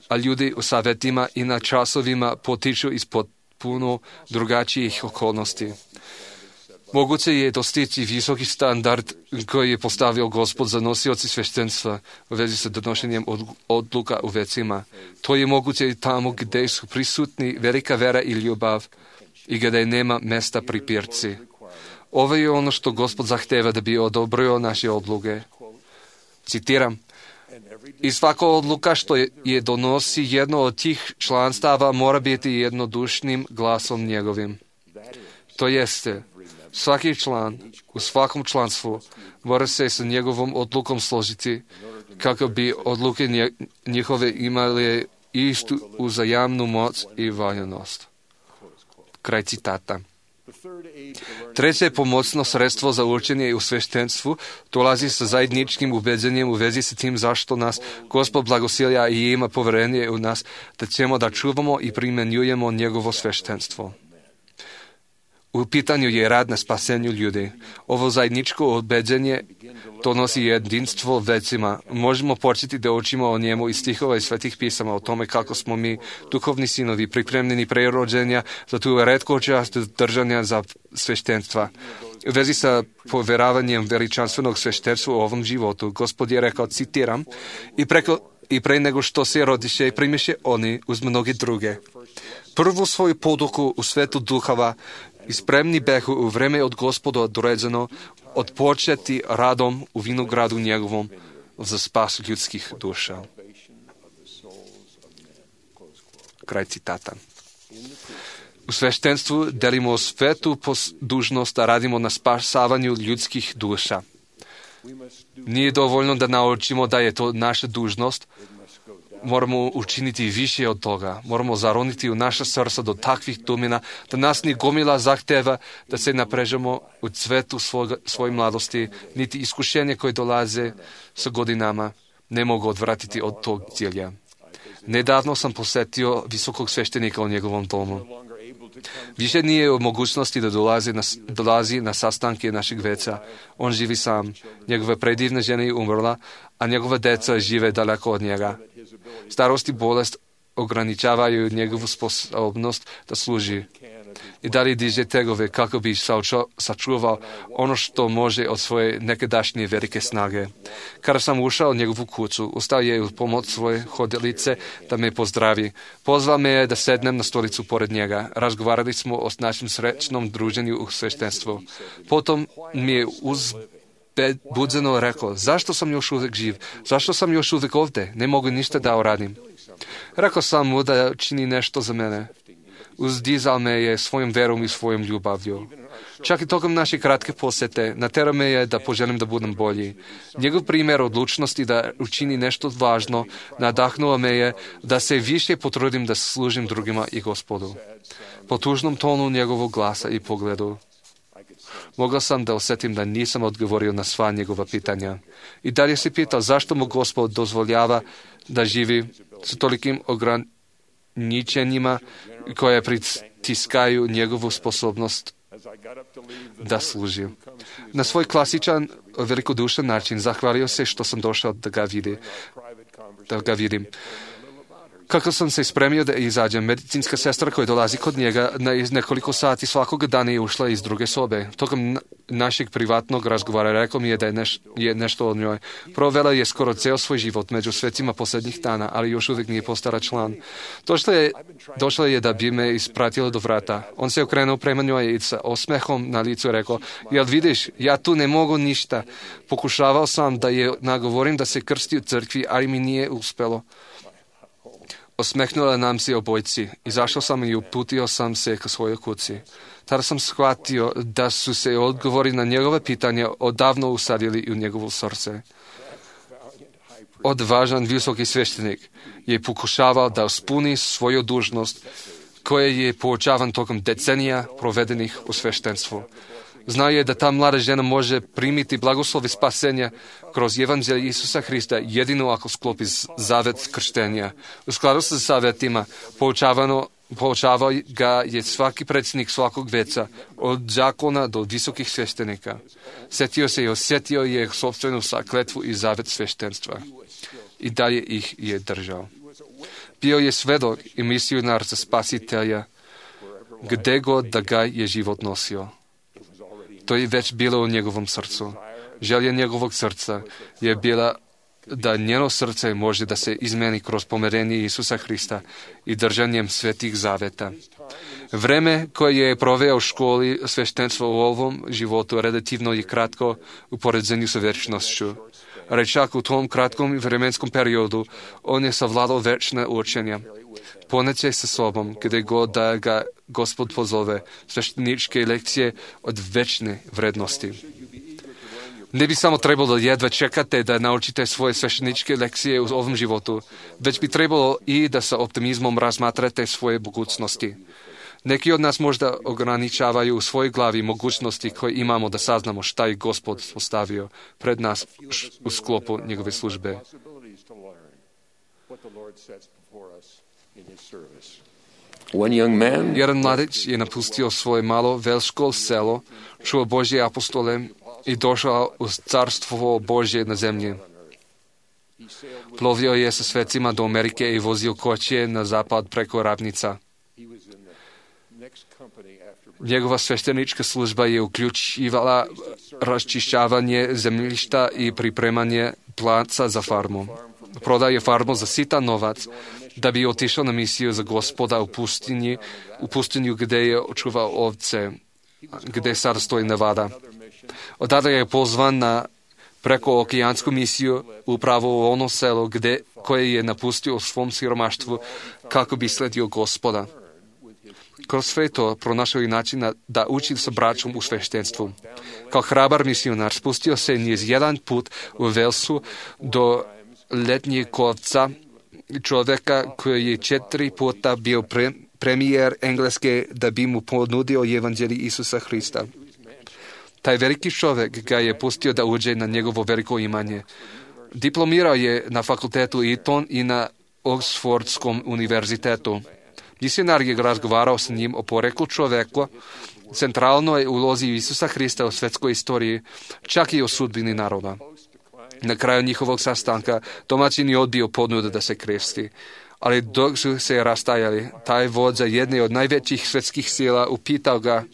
a ljudi u savjetima i na časovima potiču iz potpuno drugačijih okolnosti. Moguće je dostići visoki standard koji je postavio Gospod za nosioci sveštenstva u vezi sa donošenjem odluka u vecima. To je moguće i tamo gdje su prisutni velika vera i ljubav i gdje nema mesta pripirci. Ovo je ono što Gospod zahteva da bi odobrio naše odluke. Citiram, i svaka odluka što je, je donosi jedno od tih članstava mora biti jednodušnim glasom njegovim. To jeste, svaki član u svakom članstvu mora se sa njegovom odlukom složiti kako bi odluke nje, njihove imale istu uzajamnu moć i valjanost. Kraj citata. Treće pomoćno sredstvo za učenje u sveštenstvu dolazi sa zajedničkim ubeđenjem u vezi sa tim zašto nas Gospod blagosilja i ima poverenje u nas da ćemo da čuvamo i primjenjujemo njegovo sveštenstvo. U pitanju je rad na spasenju ljudi. Ovo zajedničko ubeđenje donosi jedinstvo vecima. Možemo početi da učimo o njemu iz stihova i svetih pisama o tome kako smo mi, duhovni sinovi, pripremljeni pre rođenja za tu retku čast držanja za sveštenstva. U vezi sa poveravanjem veličanstvenog sveštenstva u ovom životu, Gospod je rekao, citiram, i, preko, i pre nego što se rodiše i primiše oni uz mnoge druge. Prvu svoju poduku u svetu duhova i spremni behu u vreme od Gospoda određeno odpočeti radom u vinogradu njegovom za spas ljudskih duša. Kraj citata. U sveštenstvu delimo svetu dužnost da radimo na spasavanju ljudskih duša. Nije dovoljno da naučimo da je to naša dužnost, moramo učiniti više od toga. Moramo zaroniti u naša srca do takvih domina, da nas ni gomila zahteva da se naprežemo u cvetu svoga, svoje mladosti, niti iskušenje koje dolaze sa godinama ne mogu odvratiti od tog cilja. Nedavno sam posetio visokog sveštenika u njegovom domu. Više nije u mogućnosti da dolazi na, dolazi na sastanke našeg veca. On živi sam. Njegova predivna žena je umrla, a njegova deca žive daleko od njega. Starost i bolest ograničavaju njegovu sposobnost da služi. I dalje diže tegove kako bi sačuvao ono što može od svoje nekadašnje velike snage. Kada sam ušao u njegovu kuću, ustao je u pomoć svoje hodilice da me pozdravi. Pozvao me je da sednem na stolicu pored njega. Razgovarali smo o našem srećnom druženju u sveštenstvu. Potom mi je uzbudzeno rekao, zašto sam još uvijek živ? Zašto sam još uvijek ovdje? Ne mogu ništa da uradim. Rekao sam mu da čini nešto za mene. Uzdizal me je svojom verom i svojom ljubavlju. Čak i tokom naše kratke posete natjerao me je da poželim da budem bolji. Njegov primjer odlučnosti da učini nešto važno nadahnuo me je da se više potrudim da služim drugima i Gospodu. Po tužnom tonu njegovog glasa i pogledu mogla sam da osjetim da nisam odgovorio na sva njegova pitanja. I dalje se pitao zašto mu Gospod dozvoljava da živi s tolikim ograničenjima koje pritiskaju njegovu sposobnost da služi. Na svoj klasičan, velikodušan način zahvalio se što sam došao da ga, vidi, da ga vidim. Kako sam se spremio da izađem, medicinska sestra koja dolazi kod njega na nekoliko sati svakog dana je ušla iz druge sobe. Tokom našeg privatnog razgovara rekao mi je da je, neš, je nešto od njoj. Provela je skoro ceo svoj život među svecima posljednjih dana, ali još uvijek nije postala član. Došla je, došla je da bi me ispratila do vrata. On se okrenuo prema njoj i sa osmehom na licu rekao, jel vidiš, ja tu ne mogu ništa. Pokušavao sam da je nagovorim da se krsti u crkvi, ali mi nije uspelo. Osmehnula nam se obojci. Izašao sam i uputio sam se ka svojoj kući. Tada sam shvatio da su se odgovori na njegove pitanja odavno usadili u njegovo srce. Odvažan visoki sveštenik je pokušavao da ispuni svoju dužnost koja je poučavan tokom decenija provedenih u sveštenstvu. Znao je da ta mlada žena može primiti blagoslove spasenja kroz evanđelje Isusa Hrista jedino ako sklopi zavet krštenja. U skladu sa zavetima poučavao ga je svaki predsjednik svakog veca, od zakona do visokih sveštenika. Sjetio se i osjetio je sopstvenu kletvu i zavet sveštenstva. I dalje ih je držao. Bio je svedok i misionar za spasitelja, gde god da ga je život nosio. To je već bilo u njegovom srcu. Želja njegovog srca je bila da njeno srce može da se izmeni kroz pomirenje Isusa Hrista i držanjem svetih zaveta. Vreme koje je proveo u školi sveštenstva u ovom životu relativno je kratko u poređenju sa večnošću. Rečak u tom kratkom vremenskom periodu on je savladao večne učenja. Poneće sa sobom, gdje god da ga Gospod pozove, svešteničke lekcije od večne vrednosti. Ne bi samo trebalo jedva čekate da naučite svoje svešteničke lekcije u ovom životu, već bi trebalo i da sa optimizmom razmatrate svoje mogućnosti. Neki od nas možda ograničavaju u svojoj glavi mogućnosti koje imamo da saznamo šta je Gospod postavio pred nas u sklopu njegove službe. Jedan mladić je napustio svoje malo velško selo, čuo Božje apostole i došao u carstvo Božje na zemlji. Plovio je sa svecima do Amerike i vozio kočije na zapad preko ravnica. Njegova sveštenička služba je uključivala raščišćavanje zemljišta i pripremanje placa za farmu. Prodao je farmu za sitan novac da bi otišao na misiju za Gospoda u pustinji, u pustinju gdje je očuvao ovce, gdje sada stoji Nevada. Odada je pozvan na prekookeansku misiju upravo u ono selo gdje, koje je napustio u svom siromaštvu kako bi sledio Gospoda. Kroz sve to pronašao je način da uči sa braćom u sveštenstvu. Kao hrabar misionar spustio se niz jedan put u Velsu do letnjeg kovca čovjeka koji je četiri puta bio pre, premijer Engleske da bi mu ponudio evanđelje Isusa Hrista. Taj veliki čovjek ga je pustio da uđe na njegovo veliko imanje. Diplomirao je na fakultetu Eton i na Oxfordskom univerzitetu. Misionar je razgovarao s njim o poreklu čovjeka, centralnoj ulozi Isusa Hrista u svjetskoj istoriji, čak i o sudbini naroda. Na kraju njihovog sastanka domaćin je odbio ponudu da se kresti, ali dok su se rastajali, taj vođa jedne od najvećih svjetskih sila upitao ga,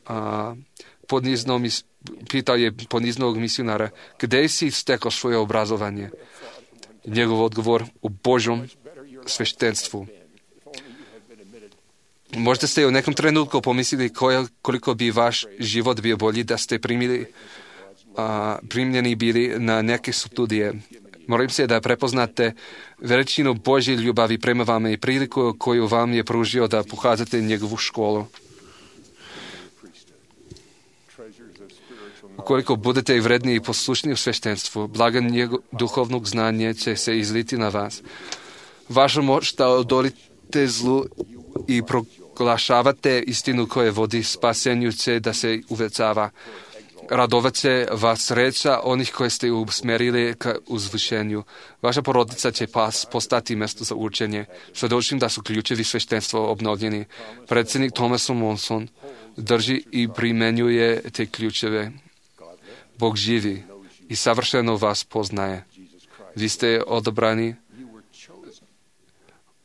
a, ponizno, pitao je poniznog misionara, gdje si stekao svoje obrazovanje? Njegov odgovor, u Božom sveštenstvu. Možda ste u nekom trenutku pomislili koliko bi vaš život bio bolji da ste primili, a, primljeni bili na neke studije. Molim se da prepoznate veličinu Božje ljubavi prema vama i priliku koju vam je pružio da pohađate njegovu školu. Ukoliko budete vredni i poslušni u sveštenstvu, blaga njegov duhovnog znanja će se izliti na vas. Vaša moć da odolite zlu i proglašavate istinu koja vodi spasenju će da se uvećava. Radovat će vas sreća onih koje ste usmerili ka uzvišenju. Vaša porodica će pas postati mjesto za učenje. Svjedočim da su ključevi sveštenstva obnovljeni. Predsjednik Thomas Monson drži i primenjuje te ključeve. Bog živi i savršeno vas poznaje. Vi ste odabrani,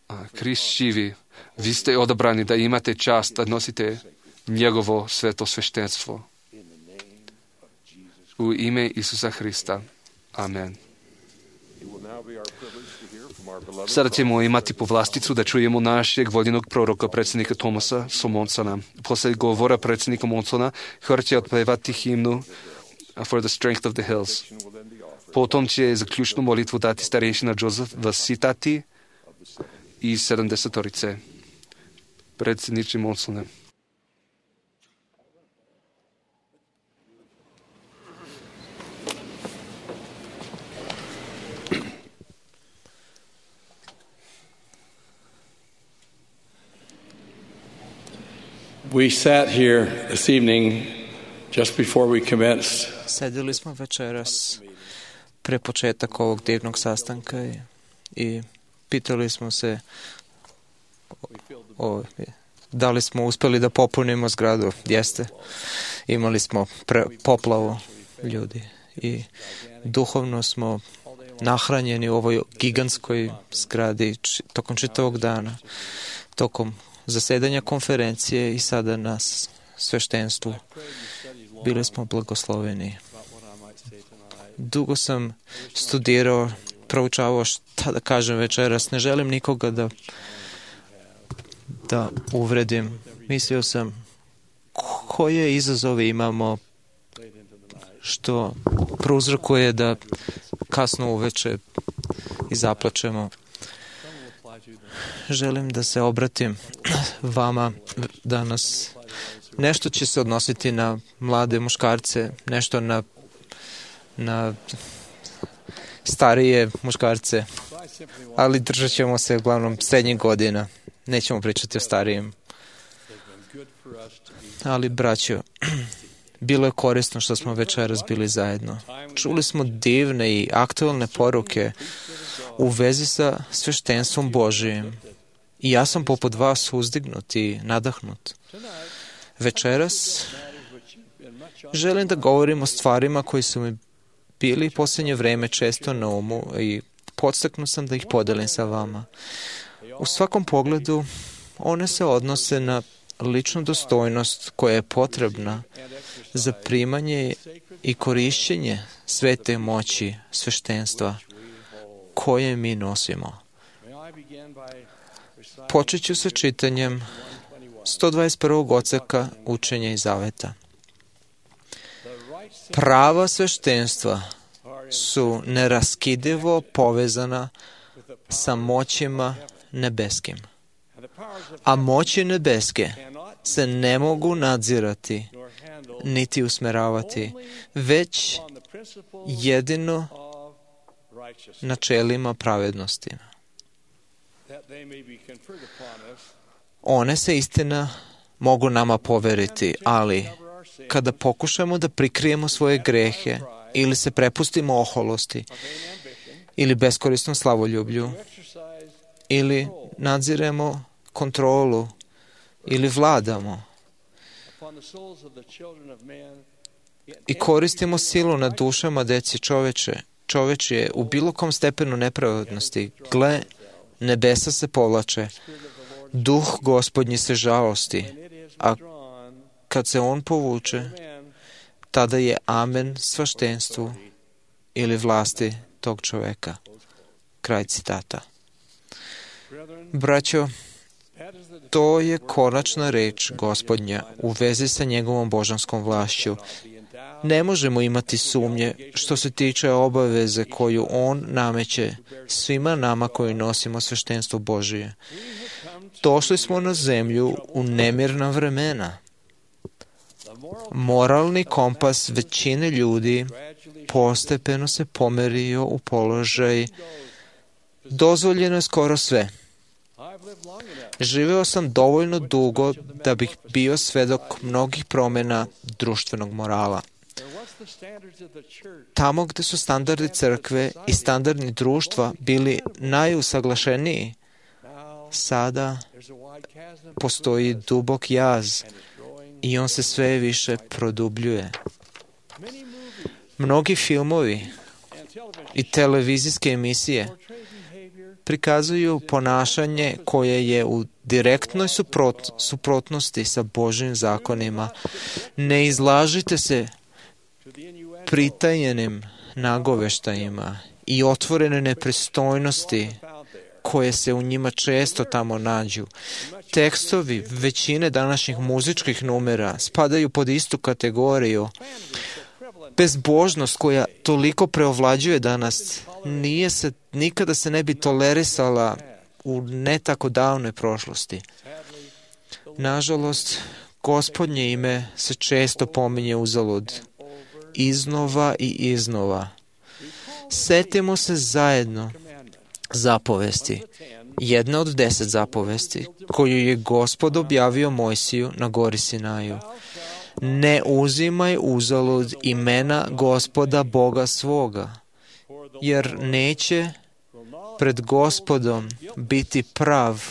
a Krist živi. Vi ste odabrani da imate čast da nosite njegovo sveto sveštenstvo. U ime Isusa Hrista. Amen. Sada ćemo imati povlasticu da čujemo našeg voljenog proroka, predsjednika Thomasa Monsona. Poslije govora predsjednika Monsona, hor će otpevati himnu For the Strength of the Hills. Potom će zaključnu molitvu dati starešina Joseph Vasitati i sedamdesetorice. Predsjedniče Monsone. We sat here this evening just before we commenced. Sedeli smo večeras pre početak ovog divnog sastanka i, i pitali smo se o, o, da li smo uspeli da popunimo zgradu. Jeste. Imali smo pre, poplavu ljudi i duhovno smo nahranjeni u ovoj gigantskoj zgradi č, tokom čitavog dana, tokom zasedanja konferencije i sada na sveštenstvu. Bili smo blagosloveni. Dugo sam studirao, proučavao šta da kažem večeras. Ne želim nikoga da, da uvredim. Mislio sam koje izazove imamo što prouzrokuje da kasno uveče i zaplačemo. Želim da se obratim vama danas. Nešto će se odnositi na mlade muškarce, nešto na, na starije muškarce, ali držat ćemo se uglavnom srednjih godina. Nećemo pričati o starijim. Ali, braćo, bilo je korisno što smo večeras bili zajedno. Čuli smo divne i aktualne poruke u vezi sa sveštenstvom Božijim. I ja sam poput vas uzdignut i nadahnut. Večeras želim da govorim o stvarima koji su mi bili posljednje vreme često na umu i podstaknut sam da ih podelim sa vama. U svakom pogledu one se odnose na ličnu dostojnost koja je potrebna za primanje i korišćenje svete moći sveštenstva koje mi nosimo. Počet ću sa čitanjem sto dvadeset prvog odseka Učenja i Zaveta. Prava sveštenstva su neraskidivo povezana sa moćima nebeskim, a moći nebeske se ne mogu nadzirati niti usmeravati, već jedino načelima pravednosti. One se istina mogu nama poveriti, ali kada pokušamo da prikrijemo svoje grehe ili se prepustimo oholosti ili beskorisnom slavoljublju ili nadziremo kontrolu ili vladamo i koristimo silu na dušama deci čoveče, čovečije u bilo kom stepenu nepravednosti, gle, nebesa se povlače, duh Gospodnji se žalosti, a kad se on povuče, tada je amen svaštenstvu ili vlasti tog čoveka. Kraj citata. Braćo, to je konačna reč Gospodnja u vezi sa njegovom božanskom vlašću. Ne možemo imati sumnje što se tiče obaveze koju on nameće svima nama koji nosimo sveštenstvo Božije. Došli smo na zemlju u nemirna vremena. Moralni kompas većine ljudi postepeno se pomerio u položaj dozvoljeno je skoro sve. Živeo sam dovoljno dugo da bih bio svedok mnogih promjena društvenog morala. Tamo gde su standardi crkve i standardi društva bili najusaglašeniji, sada postoji dubok jaz i on se sve više produbljuje. Mnogi filmovi i televizijske emisije prikazuju ponašanje koje je u direktnoj suprot, suprotnosti sa Božjim zakonima. Ne izlažite se pritajenim nagoveštajima i otvorene nepristojnosti koje se u njima često tamo nađu. Tekstovi većine današnjih muzičkih numera spadaju pod istu kategoriju. Bezbožnost koja toliko preovlađuje danas nije se, nikada se ne bi tolerisala u ne tako davnoj prošlosti. Nažalost, Gospodnje ime se često pominje uzalud, iznova i iznova. Setimo se zajedno zapovesti, jedna od deset zapovesti koju je Gospod objavio Mojsiju na gori Sinaju. Ne uzimaj uzalud imena Gospoda Boga svoga, jer neće pred Gospodom biti prav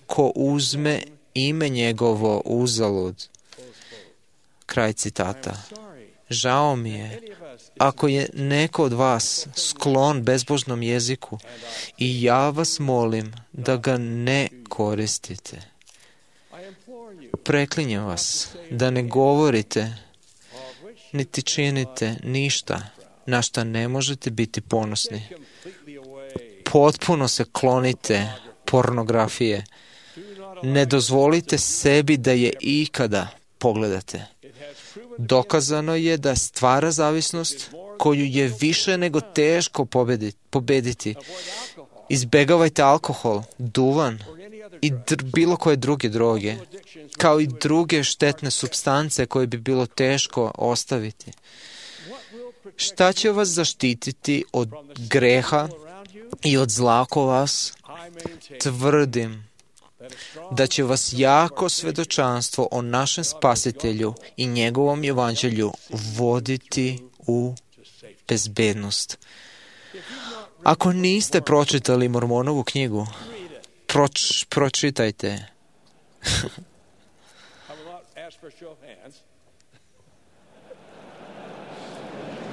ko uzme ime njegovo uzalud. Kraj citata. Žao mi je ako je neko od vas sklon bezbožnom jeziku i ja vas molim da ga ne koristite. Preklinjem vas da ne govorite niti činite ništa na šta ne možete biti ponosni. Potpuno se klonite pornografije. Ne dozvolite sebi da je ikada pogledate. Dokazano je da stvara zavisnost koju je više nego teško pobediti. Izbegavajte alkohol, duvan i dr- bilo koje druge droge, kao i druge štetne supstance koje bi bilo teško ostaviti. Šta će vas zaštititi od greha i od zla oko vas? Tvrdim da će vas jako svedočanstvo o našem Spasitelju i njegovom evanđelju voditi u bezbednost. Ako niste pročitali Mormonovu knjigu, proč, pročitajte.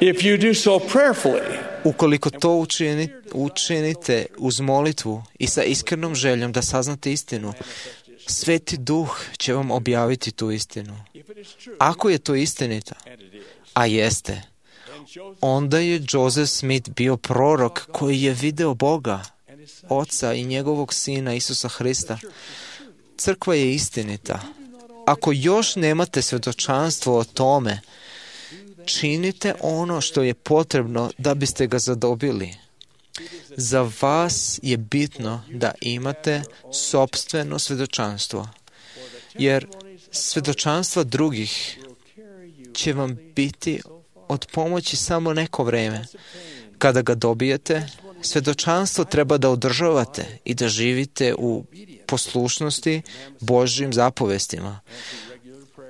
If you do so prayerfully, ukoliko to učini, učinite uz molitvu i sa iskrenom željom da saznate istinu, Sveti Duh će vam objaviti tu istinu. Ako je to istinita, a jeste, onda je Joseph Smith bio prorok koji je video Boga, Oca i njegovog Sina Isusa Hrista. Crkva je istinita. Ako još nemate svedočanstvo o tome, činite ono što je potrebno da biste ga zadobili. Za vas je bitno da imate sopstveno svedočanstvo, jer svedočanstva drugih će vam biti od pomoći samo neko vreme. Kada ga dobijete, svedočanstvo treba da održavate i da živite u poslušnosti Božjim zapovestima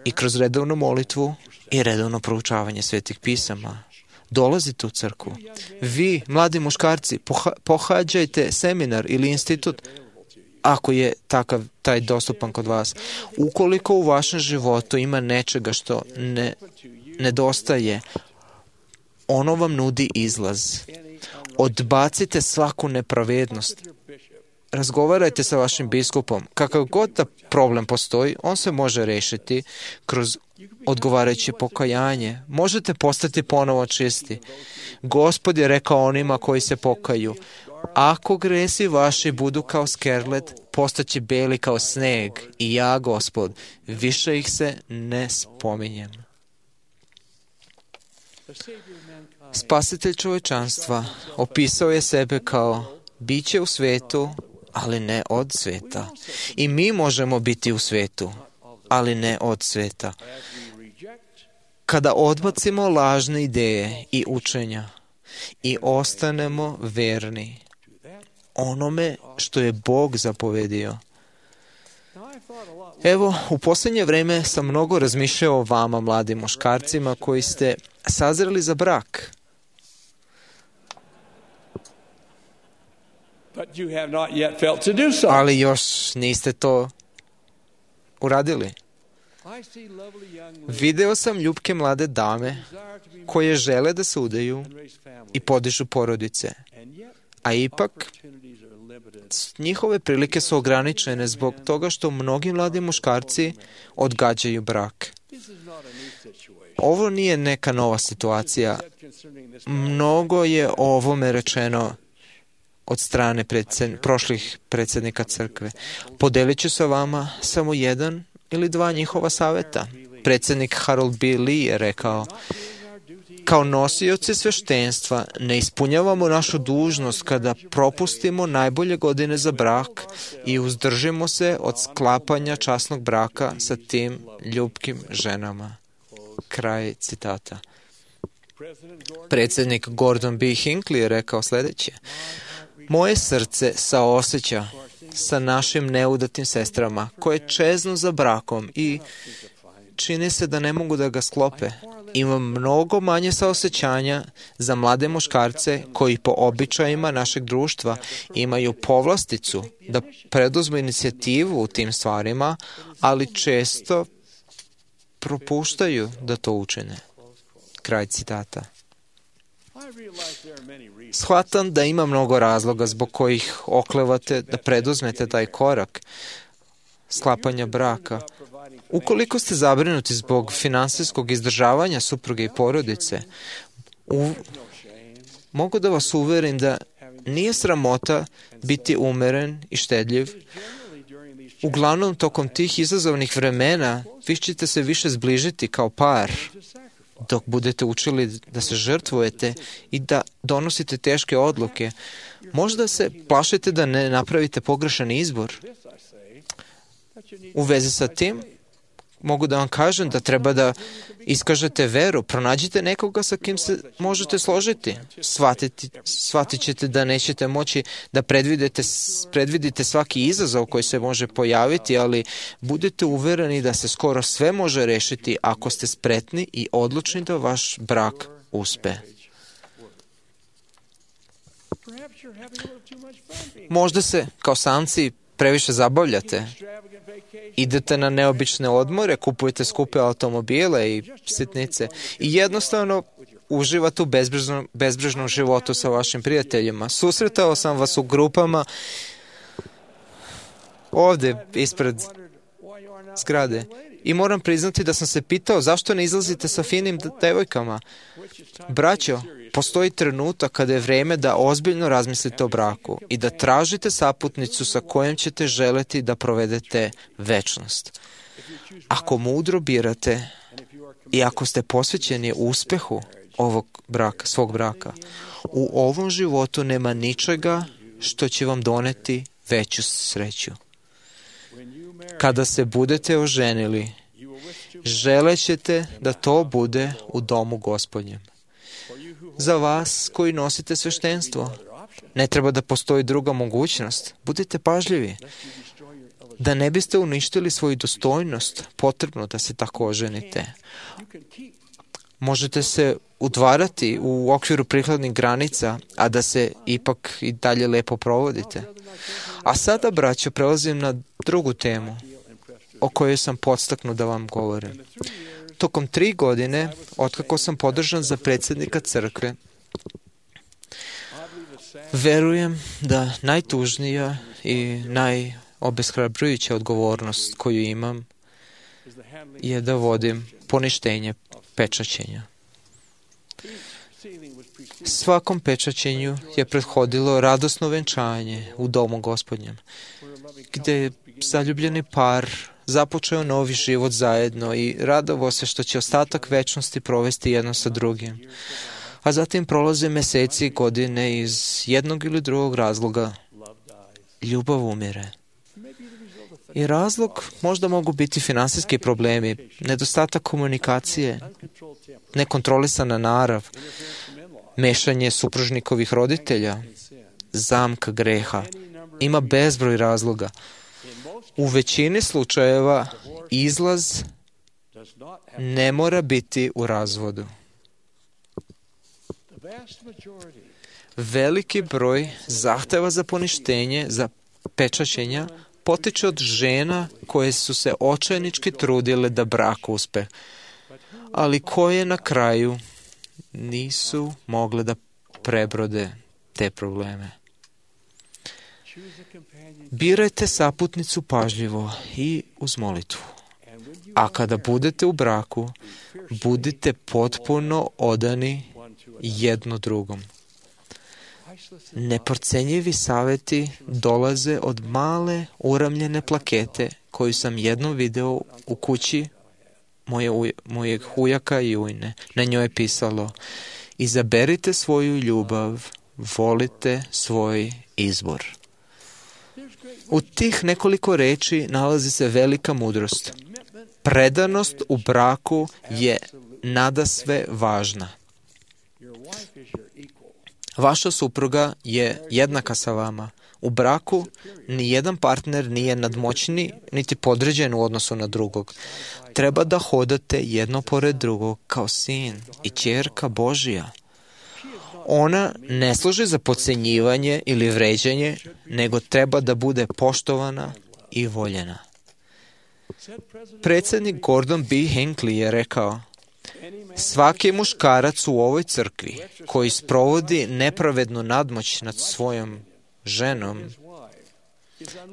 i kroz redovnu molitvu i redovno proučavanje svetih pisama. Dolazite u crkvu. Vi, mladi muškarci, poha- pohađajte seminar ili institut, ako je takav, taj dostupan kod vas. Ukoliko u vašem životu ima nečega što ne nedostaje, ono vam nudi izlaz. Odbacite svaku nepravednost. Razgovarajte sa vašim biskupom. Kakav god da problem postoji, on se može rešiti kroz odgovarajuće pokajanje. Možete postati ponovo čisti. Gospod je rekao onima koji se pokaju: ako gresi vaši budu kao skerlet, postaće beli kao sneg, i ja, Gospod, više ih se ne spominjem. Spasitelj čovečanstva opisao je sebe kao biće u svetu, ali ne od sveta. I mi možemo biti u svetu, ali ne od sveta. Kada odbacimo lažne ideje i učenja i ostanemo verni onome što je Bog zapovedio. Evo, u posljednje vreme sam mnogo razmišljao o vama, mladim muškarcima, koji ste sazreli za brak. Ali još niste to uradili. Video sam ljubke mlade dame koje žele da se udaju i podižu porodice, a ipak njihove prilike su ograničene zbog toga što mnogi mladi muškarci odgađaju brak. Ovo nije neka nova situacija. Mnogo je o ovome rečeno od strane predsed... prošlih predsjednika crkve. Podelit ću sa vama samo jedan ili dva njihova saveta. Predsjednik Harold B. Lee je rekao: kao nosioci sveštenstva ne ispunjavamo našu dužnost kada propustimo najbolje godine za brak i uzdržimo se od sklapanja časnog braka sa tim ljubkim ženama. Kraj citata. Predsjednik Gordon B. Hinckley je rekao sljedeće: moje srce saoseća sa našim neudatim sestrama koje čeznu za brakom i čini se da ne mogu da ga sklope. Imam mnogo manje saosećanja za mlade muškarce koji po običajima našeg društva imaju povlasticu da preduzmu inicijativu u tim stvarima, ali često propuštaju da to učine. Kraj citata. Shvatam da ima mnogo razloga zbog kojih oklevate da preduzmete taj korak sklapanja braka. Ukoliko ste zabrinuti zbog finansijskog izdržavanja supruge i porodice, u... mogu da vas uverim da nije sramota biti umeren i štedljiv. Uglavnom, tokom tih izazovnih vremena vi ćete se više zbližiti kao par, dok budete učili da se žrtvujete i da donosite teške odluke. Možda se plašite da ne napravite pogrešan izbor. U vezi sa tim, mogu da vam kažem da treba da iskažete veru. Pronađite nekoga sa kim se možete složiti. Shvatiti, shvatit ćete da nećete moći da predvidite, predvidite svaki izazov koji se može pojaviti, ali budete uvereni da se skoro sve može rešiti ako ste spretni i odlučni da vaš brak uspe. Možda se, kao samci, previše zabavljate. Idete na neobične odmore, kupujete skupe automobile i sitnice i jednostavno uživate u bezbrižnom, bezbrižnom životu sa vašim prijateljima. Susretao sam vas u grupama ovde ispred zgrade i moram priznati da sam se pitao zašto ne izlazite sa finim devojkama. Braćo, postoji trenutak kada je vreme da ozbiljno razmislite o braku i da tražite saputnicu sa kojom ćete želeti da provedete večnost. Ako mudro birate i ako ste posvećeni uspehu ovog braka, svog braka, u ovom životu nema ničega što će vam doneti veću sreću. Kada se budete oženili, želećete da to bude u domu Gospodnjem. Za vas koji nosite sveštenstvo, Ne treba da postoji druga mogućnost. Budite pažljivi. Da ne biste uništili svoju dostojnost, potrebno da se tako oženite. Možete se udvarati u okviru prikladnih granica, a da se ipak i dalje lepo provodite. A sada, braćo, prelazim na drugu temu o kojoj sam podstaknut da vam govorim. Tokom tri godine, otkako sam podržan za predsjednika crkve, verujem da najtužnija i najobeshrabrujuća odgovornost koju imam je da vodim poništenje pečaćenja. Svakom pečaćenju je prethodilo radosno venčanje u domu Gospodnjem, gde je zaljubljeni par započeo novi život zajedno i radovao se što će ostatak večnosti provesti jedno sa drugim. A zatim prolaze meseci i godine iz jednog ili drugog razloga. Ljubav umire. I razlog možda mogu biti finansijski problemi, nedostatak komunikacije, nekontrolisana narav, mešanje supružnikovih roditelja, zamka greha. Ima bezbroj razloga. U većini slučajeva izlaz ne mora biti u razvodu. Veliki broj zahteva za poništenje, za pečaćenja, potiče od žena koje su se očajnički trudile da brak uspe, ali koje na kraju nisu mogle da prebrode te probleme. Birajte saputnicu pažljivo i uz molitvu. A kada budete u braku, budite potpuno odani jedno drugom. Neprocenjivi saveti dolaze od male uramljene plakete koju sam jednom video u kući moje, uj, mojeg ujaka i ujne. Na njoj je pisalo: izaberite svoju ljubav, volite svoj izbor. U tih nekoliko reči nalazi se velika mudrost. Predanost u braku je nadasve važna. Vaša supruga je jednaka sa vama. U braku ni jedan partner nije nadmoćni niti podređen u odnosu na drugog. Treba da hodate jedno pored drugog kao sin i ćerka Božija. Ona ne služi za podcenjivanje ili vređanje, nego treba da bude poštovana i voljena. Predsjednik Gordon B. Hinckley je rekao: svaki muškarac u ovoj crkvi koji sprovodi nepravednu nadmoć nad svojom ženom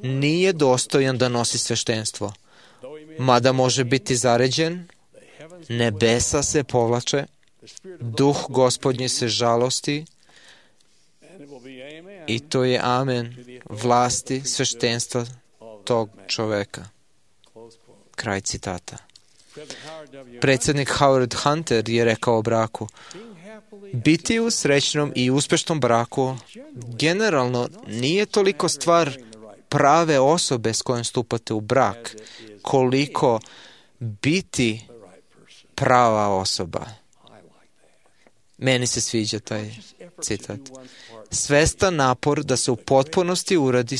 nije dostojan da nosi sveštenstvo. Mada može biti zaređen, nebesa se povlače, duh Gospodnji se žalosti i to je amen vlasti sveštenstva tog čoveka. Kraj citata. Predsjednik Howard Hunter je rekao o braku: biti u srećnom i uspešnom braku generalno nije toliko stvar prave osobe s kojom stupate u brak, koliko biti prava osoba. Meni se sviđa taj citat. Svestan napor da se u potpunosti uradi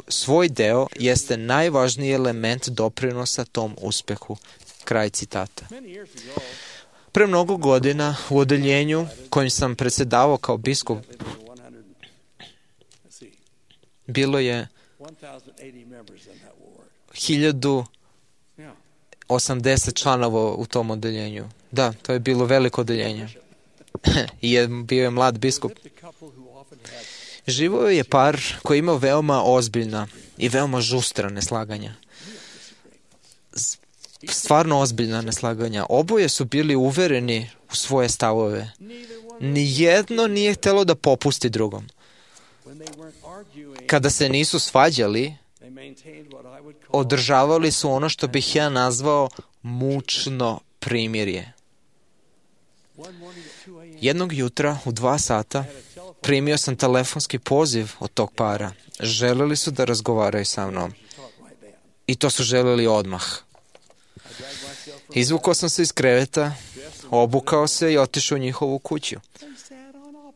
svoj deo jeste najvažniji element doprinosa tom uspehu. Kraj citata. Pre mnogo godina u odeljenju kojim sam predsjedavao kao biskup bilo je hiljadu osamdeset članova u tom odeljenju. Da, to je bilo veliko odeljenje. I je, bio je mlad biskup. Živio je par koji imao veoma ozbiljna i veoma žustra neslaganja. Stvarno ozbiljna neslaganja. Oboje su bili uvereni u svoje stavove. Nijedno nije htjelo da popusti drugom. Kada se nisu svađali, održavali su ono što bih ja nazvao mučno primirje. Jednog jutra u dva sata primio sam telefonski poziv od tog para. Želeli su da razgovaraju sa mnom. I to su želeli odmah. Izvukao sam se iz kreveta, obukao se i otišao u njihovu kuću.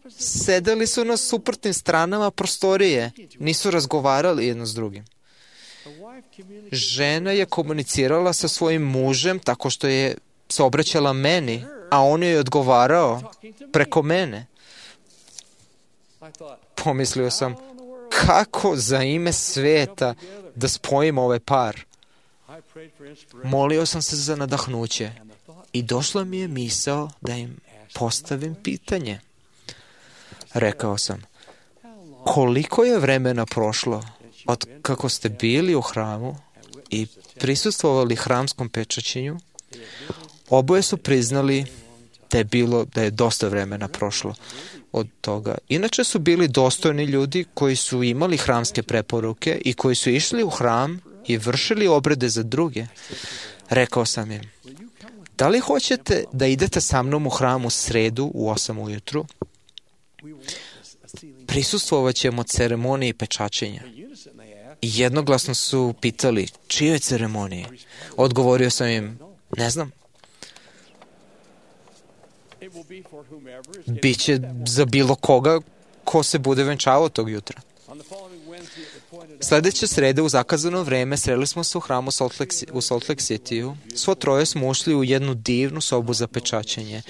Sedeli su na suprotnim stranama prostorije, nisu razgovarali jedno s drugim. Žena je komunicirala sa svojim mužem tako što je se obraćala meni, a on je odgovarao preko mene. Pomislio sam, kako za ime sveta da spojim ovaj par? Molio sam se za nadahnuće i došla mi je misao da im postavim pitanje. Rekao sam, koliko je vremena prošlo od kako ste bili u hramu i prisustvovali hramskom pečaćenju? Oboje su priznali da je bilo, da je dosta vremena prošlo od toga. Inače su bili dostojni ljudi koji su imali hramske preporuke i koji su išli u hram i vršili obrede za druge. Rekao sam im, da li hoćete da idete sa mnom u hram u sredu u osam ujutru? Prisustvovat ćemo ceremoniji pečaćenja. I jednoglasno su pitali, čijoj ceremoniji? Odgovorio sam im, ne znam. Biće za bilo koga ko se bude venčavao tog jutra. Sljedeće srede u zakazano vreme sreli smo se u hramu u Salt Lake City-u. Svo troje smo ušli u jednu divnu sobu za pečaćenje.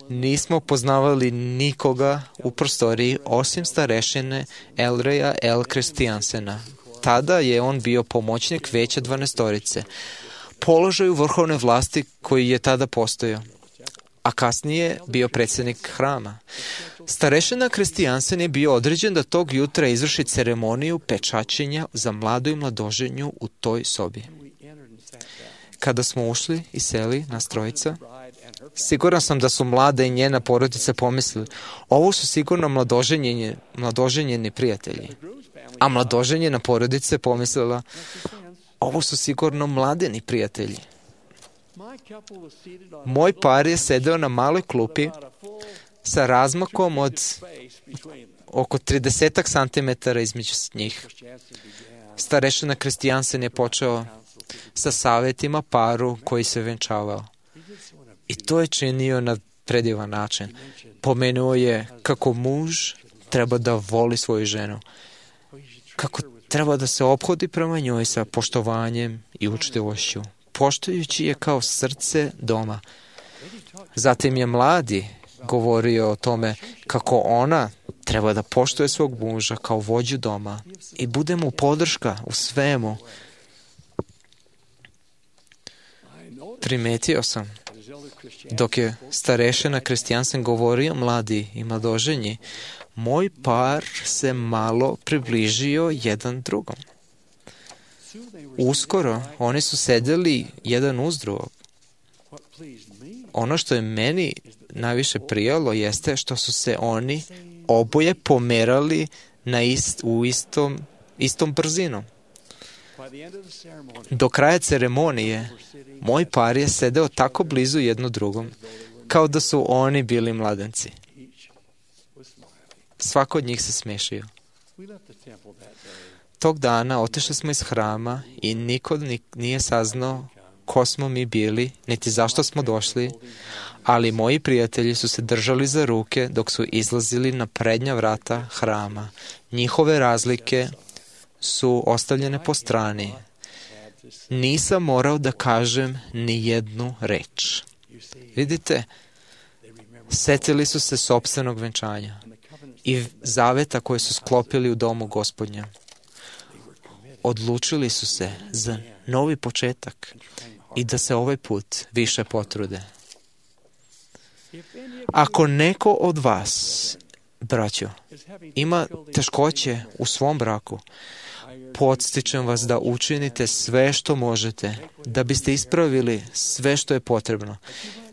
Nismo poznavali nikoga u prostoriji osim starešine Elreja L. Kristijansena. Tada je on bio pomoćnik veća dvanaestorice, položaju vrhovne vlasti koji je tada postojao, a kasnije bio predsjednik hrama. Starešina Kristijansen je bio određen da tog jutra izvrši ceremoniju pečaćenja za mladu i mladoženju u toj sobi. Kada smo ušli i seli nas trojica, siguran sam da su mlada i njena porodica pomislili, ovo su sigurno mladoženjeni, mladoženjeni prijatelji. A mladoženjena porodica je pomislila, ovo su sigurno mladeni prijatelji. Moj par je sedeo na maloj klupi sa razmakom od oko trideset santimetara između njih. Starešina Kristijansen je počeo sa savjetima paru koji se venčavao. I to je činio na predivan način. Pomenuo je kako muž treba da voli svoju ženu, kako treba da se ophodi prema njoj sa poštovanjem i učtivošću, poštujući je kao srce doma. Zatim je mladi govorio o tome kako ona treba da poštuje svog muža kao vođu doma i bude mu podrška u svemu. Primetio sam, dok je starešina Kristijansen govorio mladi i mladoženji, moj par se malo približio jedan drugom. Uskoro oni su sedeli jedan uz drugog. Ono što je meni najviše prijalo jeste što su se oni oboje pomerali na ist, u istom, istom brzinom. Do kraja ceremonije moj par je sedeo tako blizu jedno drugom, kao da su oni bili mladenci. Svako od njih se smešio. Tog dana otišli smo iz hrama i niko nije saznao ko smo mi bili, niti zašto smo došli, ali moji prijatelji su se držali za ruke dok su izlazili na prednja vrata hrama. Njihove razlike su ostavljene po strani. Nisam morao da kažem ni jednu reč. Vidite, setili su se sopstvenog venčanja i zaveta koje su sklopili u domu Gospodnja. Odlučili su se za novi početak i da se ovaj put više potrude. Ako neko od vas, braćo, ima teškoće u svom braku, podstičem vas da učinite sve što možete, da biste ispravili sve što je potrebno,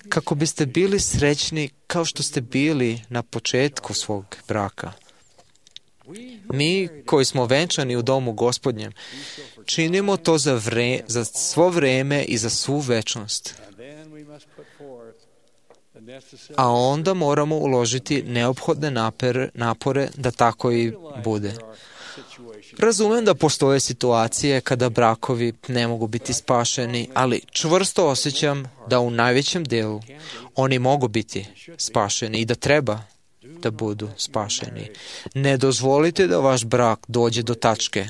kako biste bili srećni kao što ste bili na početku svog braka. Mi koji smo venčani u domu Gospodnjem, činimo to za, vre, za svo vreme i za svu večnost. A onda moramo uložiti neophodne napere, napore da tako i bude. Razumem da postoje situacije kada brakovi ne mogu biti spašeni, ali čvrsto osjećam da u najvećem delu oni mogu biti spašeni i da treba da budu spašeni. Ne dozvolite da vaš brak dođe do tačke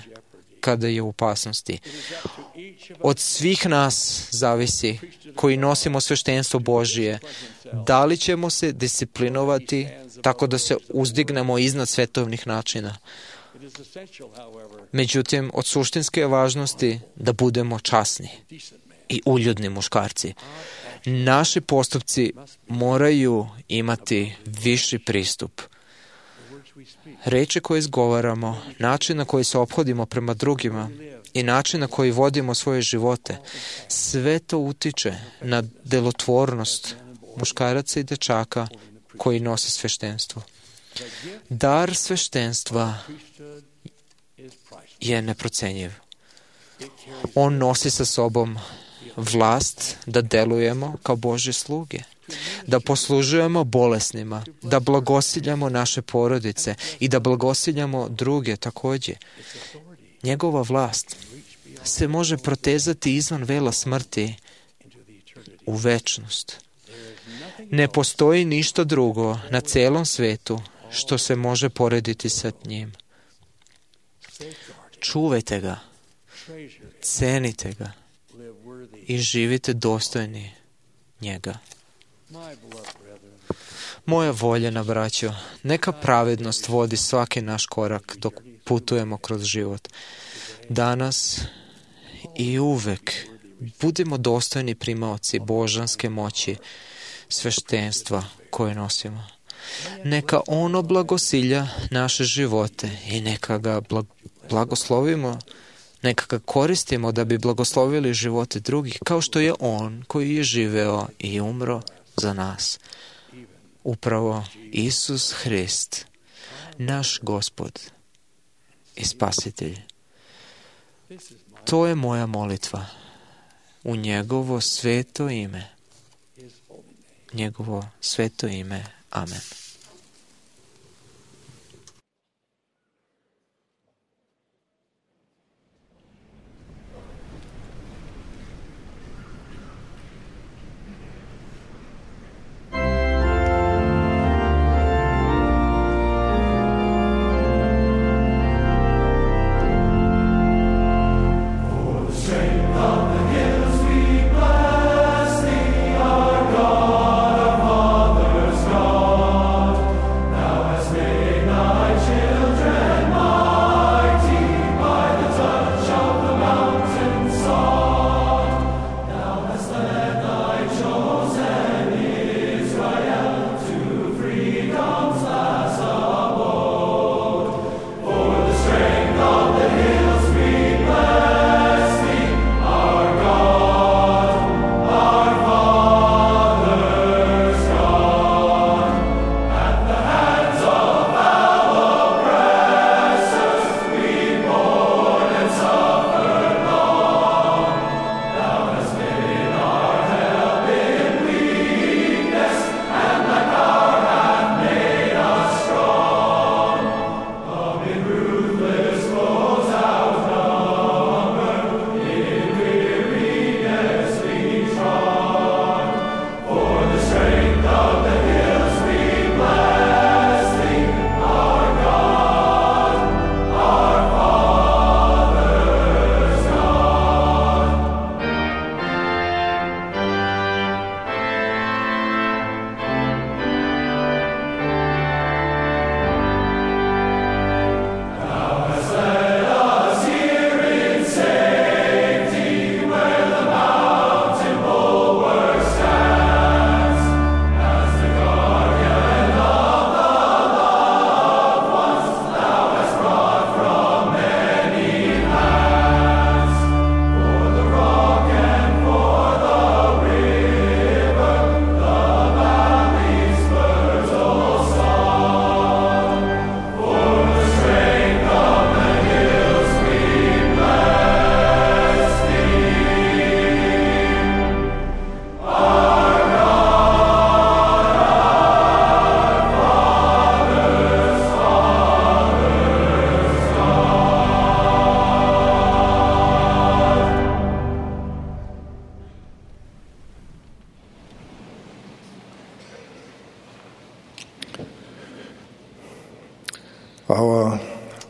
kada je u opasnosti. Od svih nas zavisi koji nosimo sveštenstvo Božije, da li ćemo se disciplinovati tako da se uzdignemo iznad svetovnih načina. Međutim, od suštinske važnosti da budemo časni i uljudni muškarci. Naši postupci moraju imati viši pristup. Reči koje izgovaramo, način na koji se ophodimo prema drugima i način na koji vodimo svoje živote, sve to utiče na delotvornost muškaraca i dečaka koji nose sveštenstvo. Dar sveštenstva je neprocenjiv. On nosi sa sobom vlast da delujemo kao Božje sluge, da poslužujemo bolesnima, da blagosiljamo naše porodice i da blagosiljamo druge takođe. Njegova vlast se može protezati izvan vela smrti u večnost. Ne postoji ništa drugo na celom svetu što se može porediti sa njim. Čuvajte ga, cenite ga i živite dostojni njega. Moja voljena braćo, neka pravednost vodi svaki naš korak dok putujemo kroz život. Danas i uvek budimo dostojni primaoci božanske moći, sveštenstva koje nosimo. Neka ono blagosilja naše živote i neka ga blagoslovimo, neka ga koristimo da bi blagoslovili živote drugih, kao što je on koji je živeo i umro za nas. Upravo Isus Hrist, naš Gospod i Spasitelj. To je moja molitva u njegovo sveto ime. Njegovo sveto ime. Amen. God, our Father's God.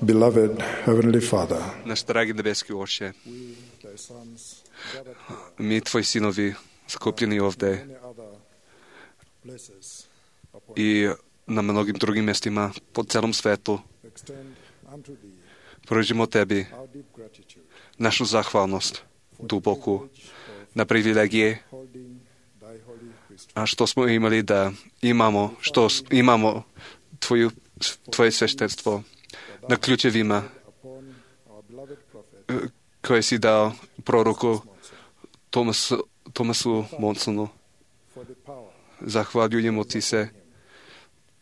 Beloved Heavenly Father, Naš dragi nebeski Oče, we, thy sons, gathered here, mi, tvoji sinovi, skupljeni ovde many other places upon i na mnogim drugim mjestima po celom svetu, extend unto thee pružimo tebi our deep gratitude, našu zahvalnost, duboku, na privilegije, holding thy holy priesthood. a što smo imali da imamo, što s- imamo tvoju, tvoje sveštenstvo na ključevima Upon our beloved prophet, koje si dao proroku Tomasu, Tomasu Monsonu. for the power Zahvaljujemo ti se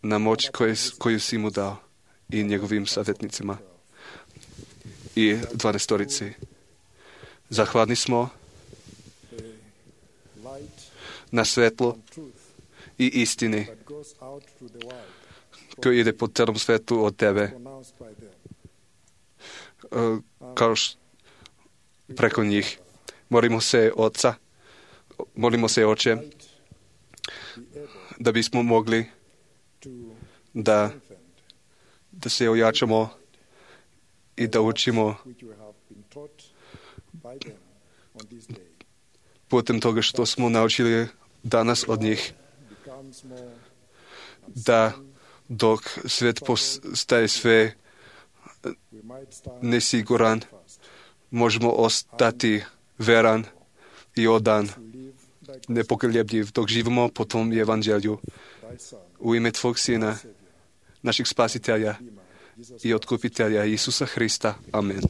na moć koju, koju si mu dao i njegovim savjetnicima i dvanaestorici. Zahvalni smo the light na svetlo and truth i istini that goes out to the world, koji ide po celom svetu od tebe, pronounced by them. uh, kao š, preko njih. Molimo se Oca, molimo se Oče, Be able da bismo mogli to da, strengthen da se ojačamo i da učimo which you have been taught by them on this day putem toga što smo naučili danas od njih, becomes more da dok svet postaje sve we might stand nesiguran, fast možemo ostati veran i odan, to live thy, nepokoljebljiv, dok živimo po tom evanđelju thy son, u ime tvog Sina, našeg spasitelja Jesus i otkupitelja Isusa Hrista. Amen.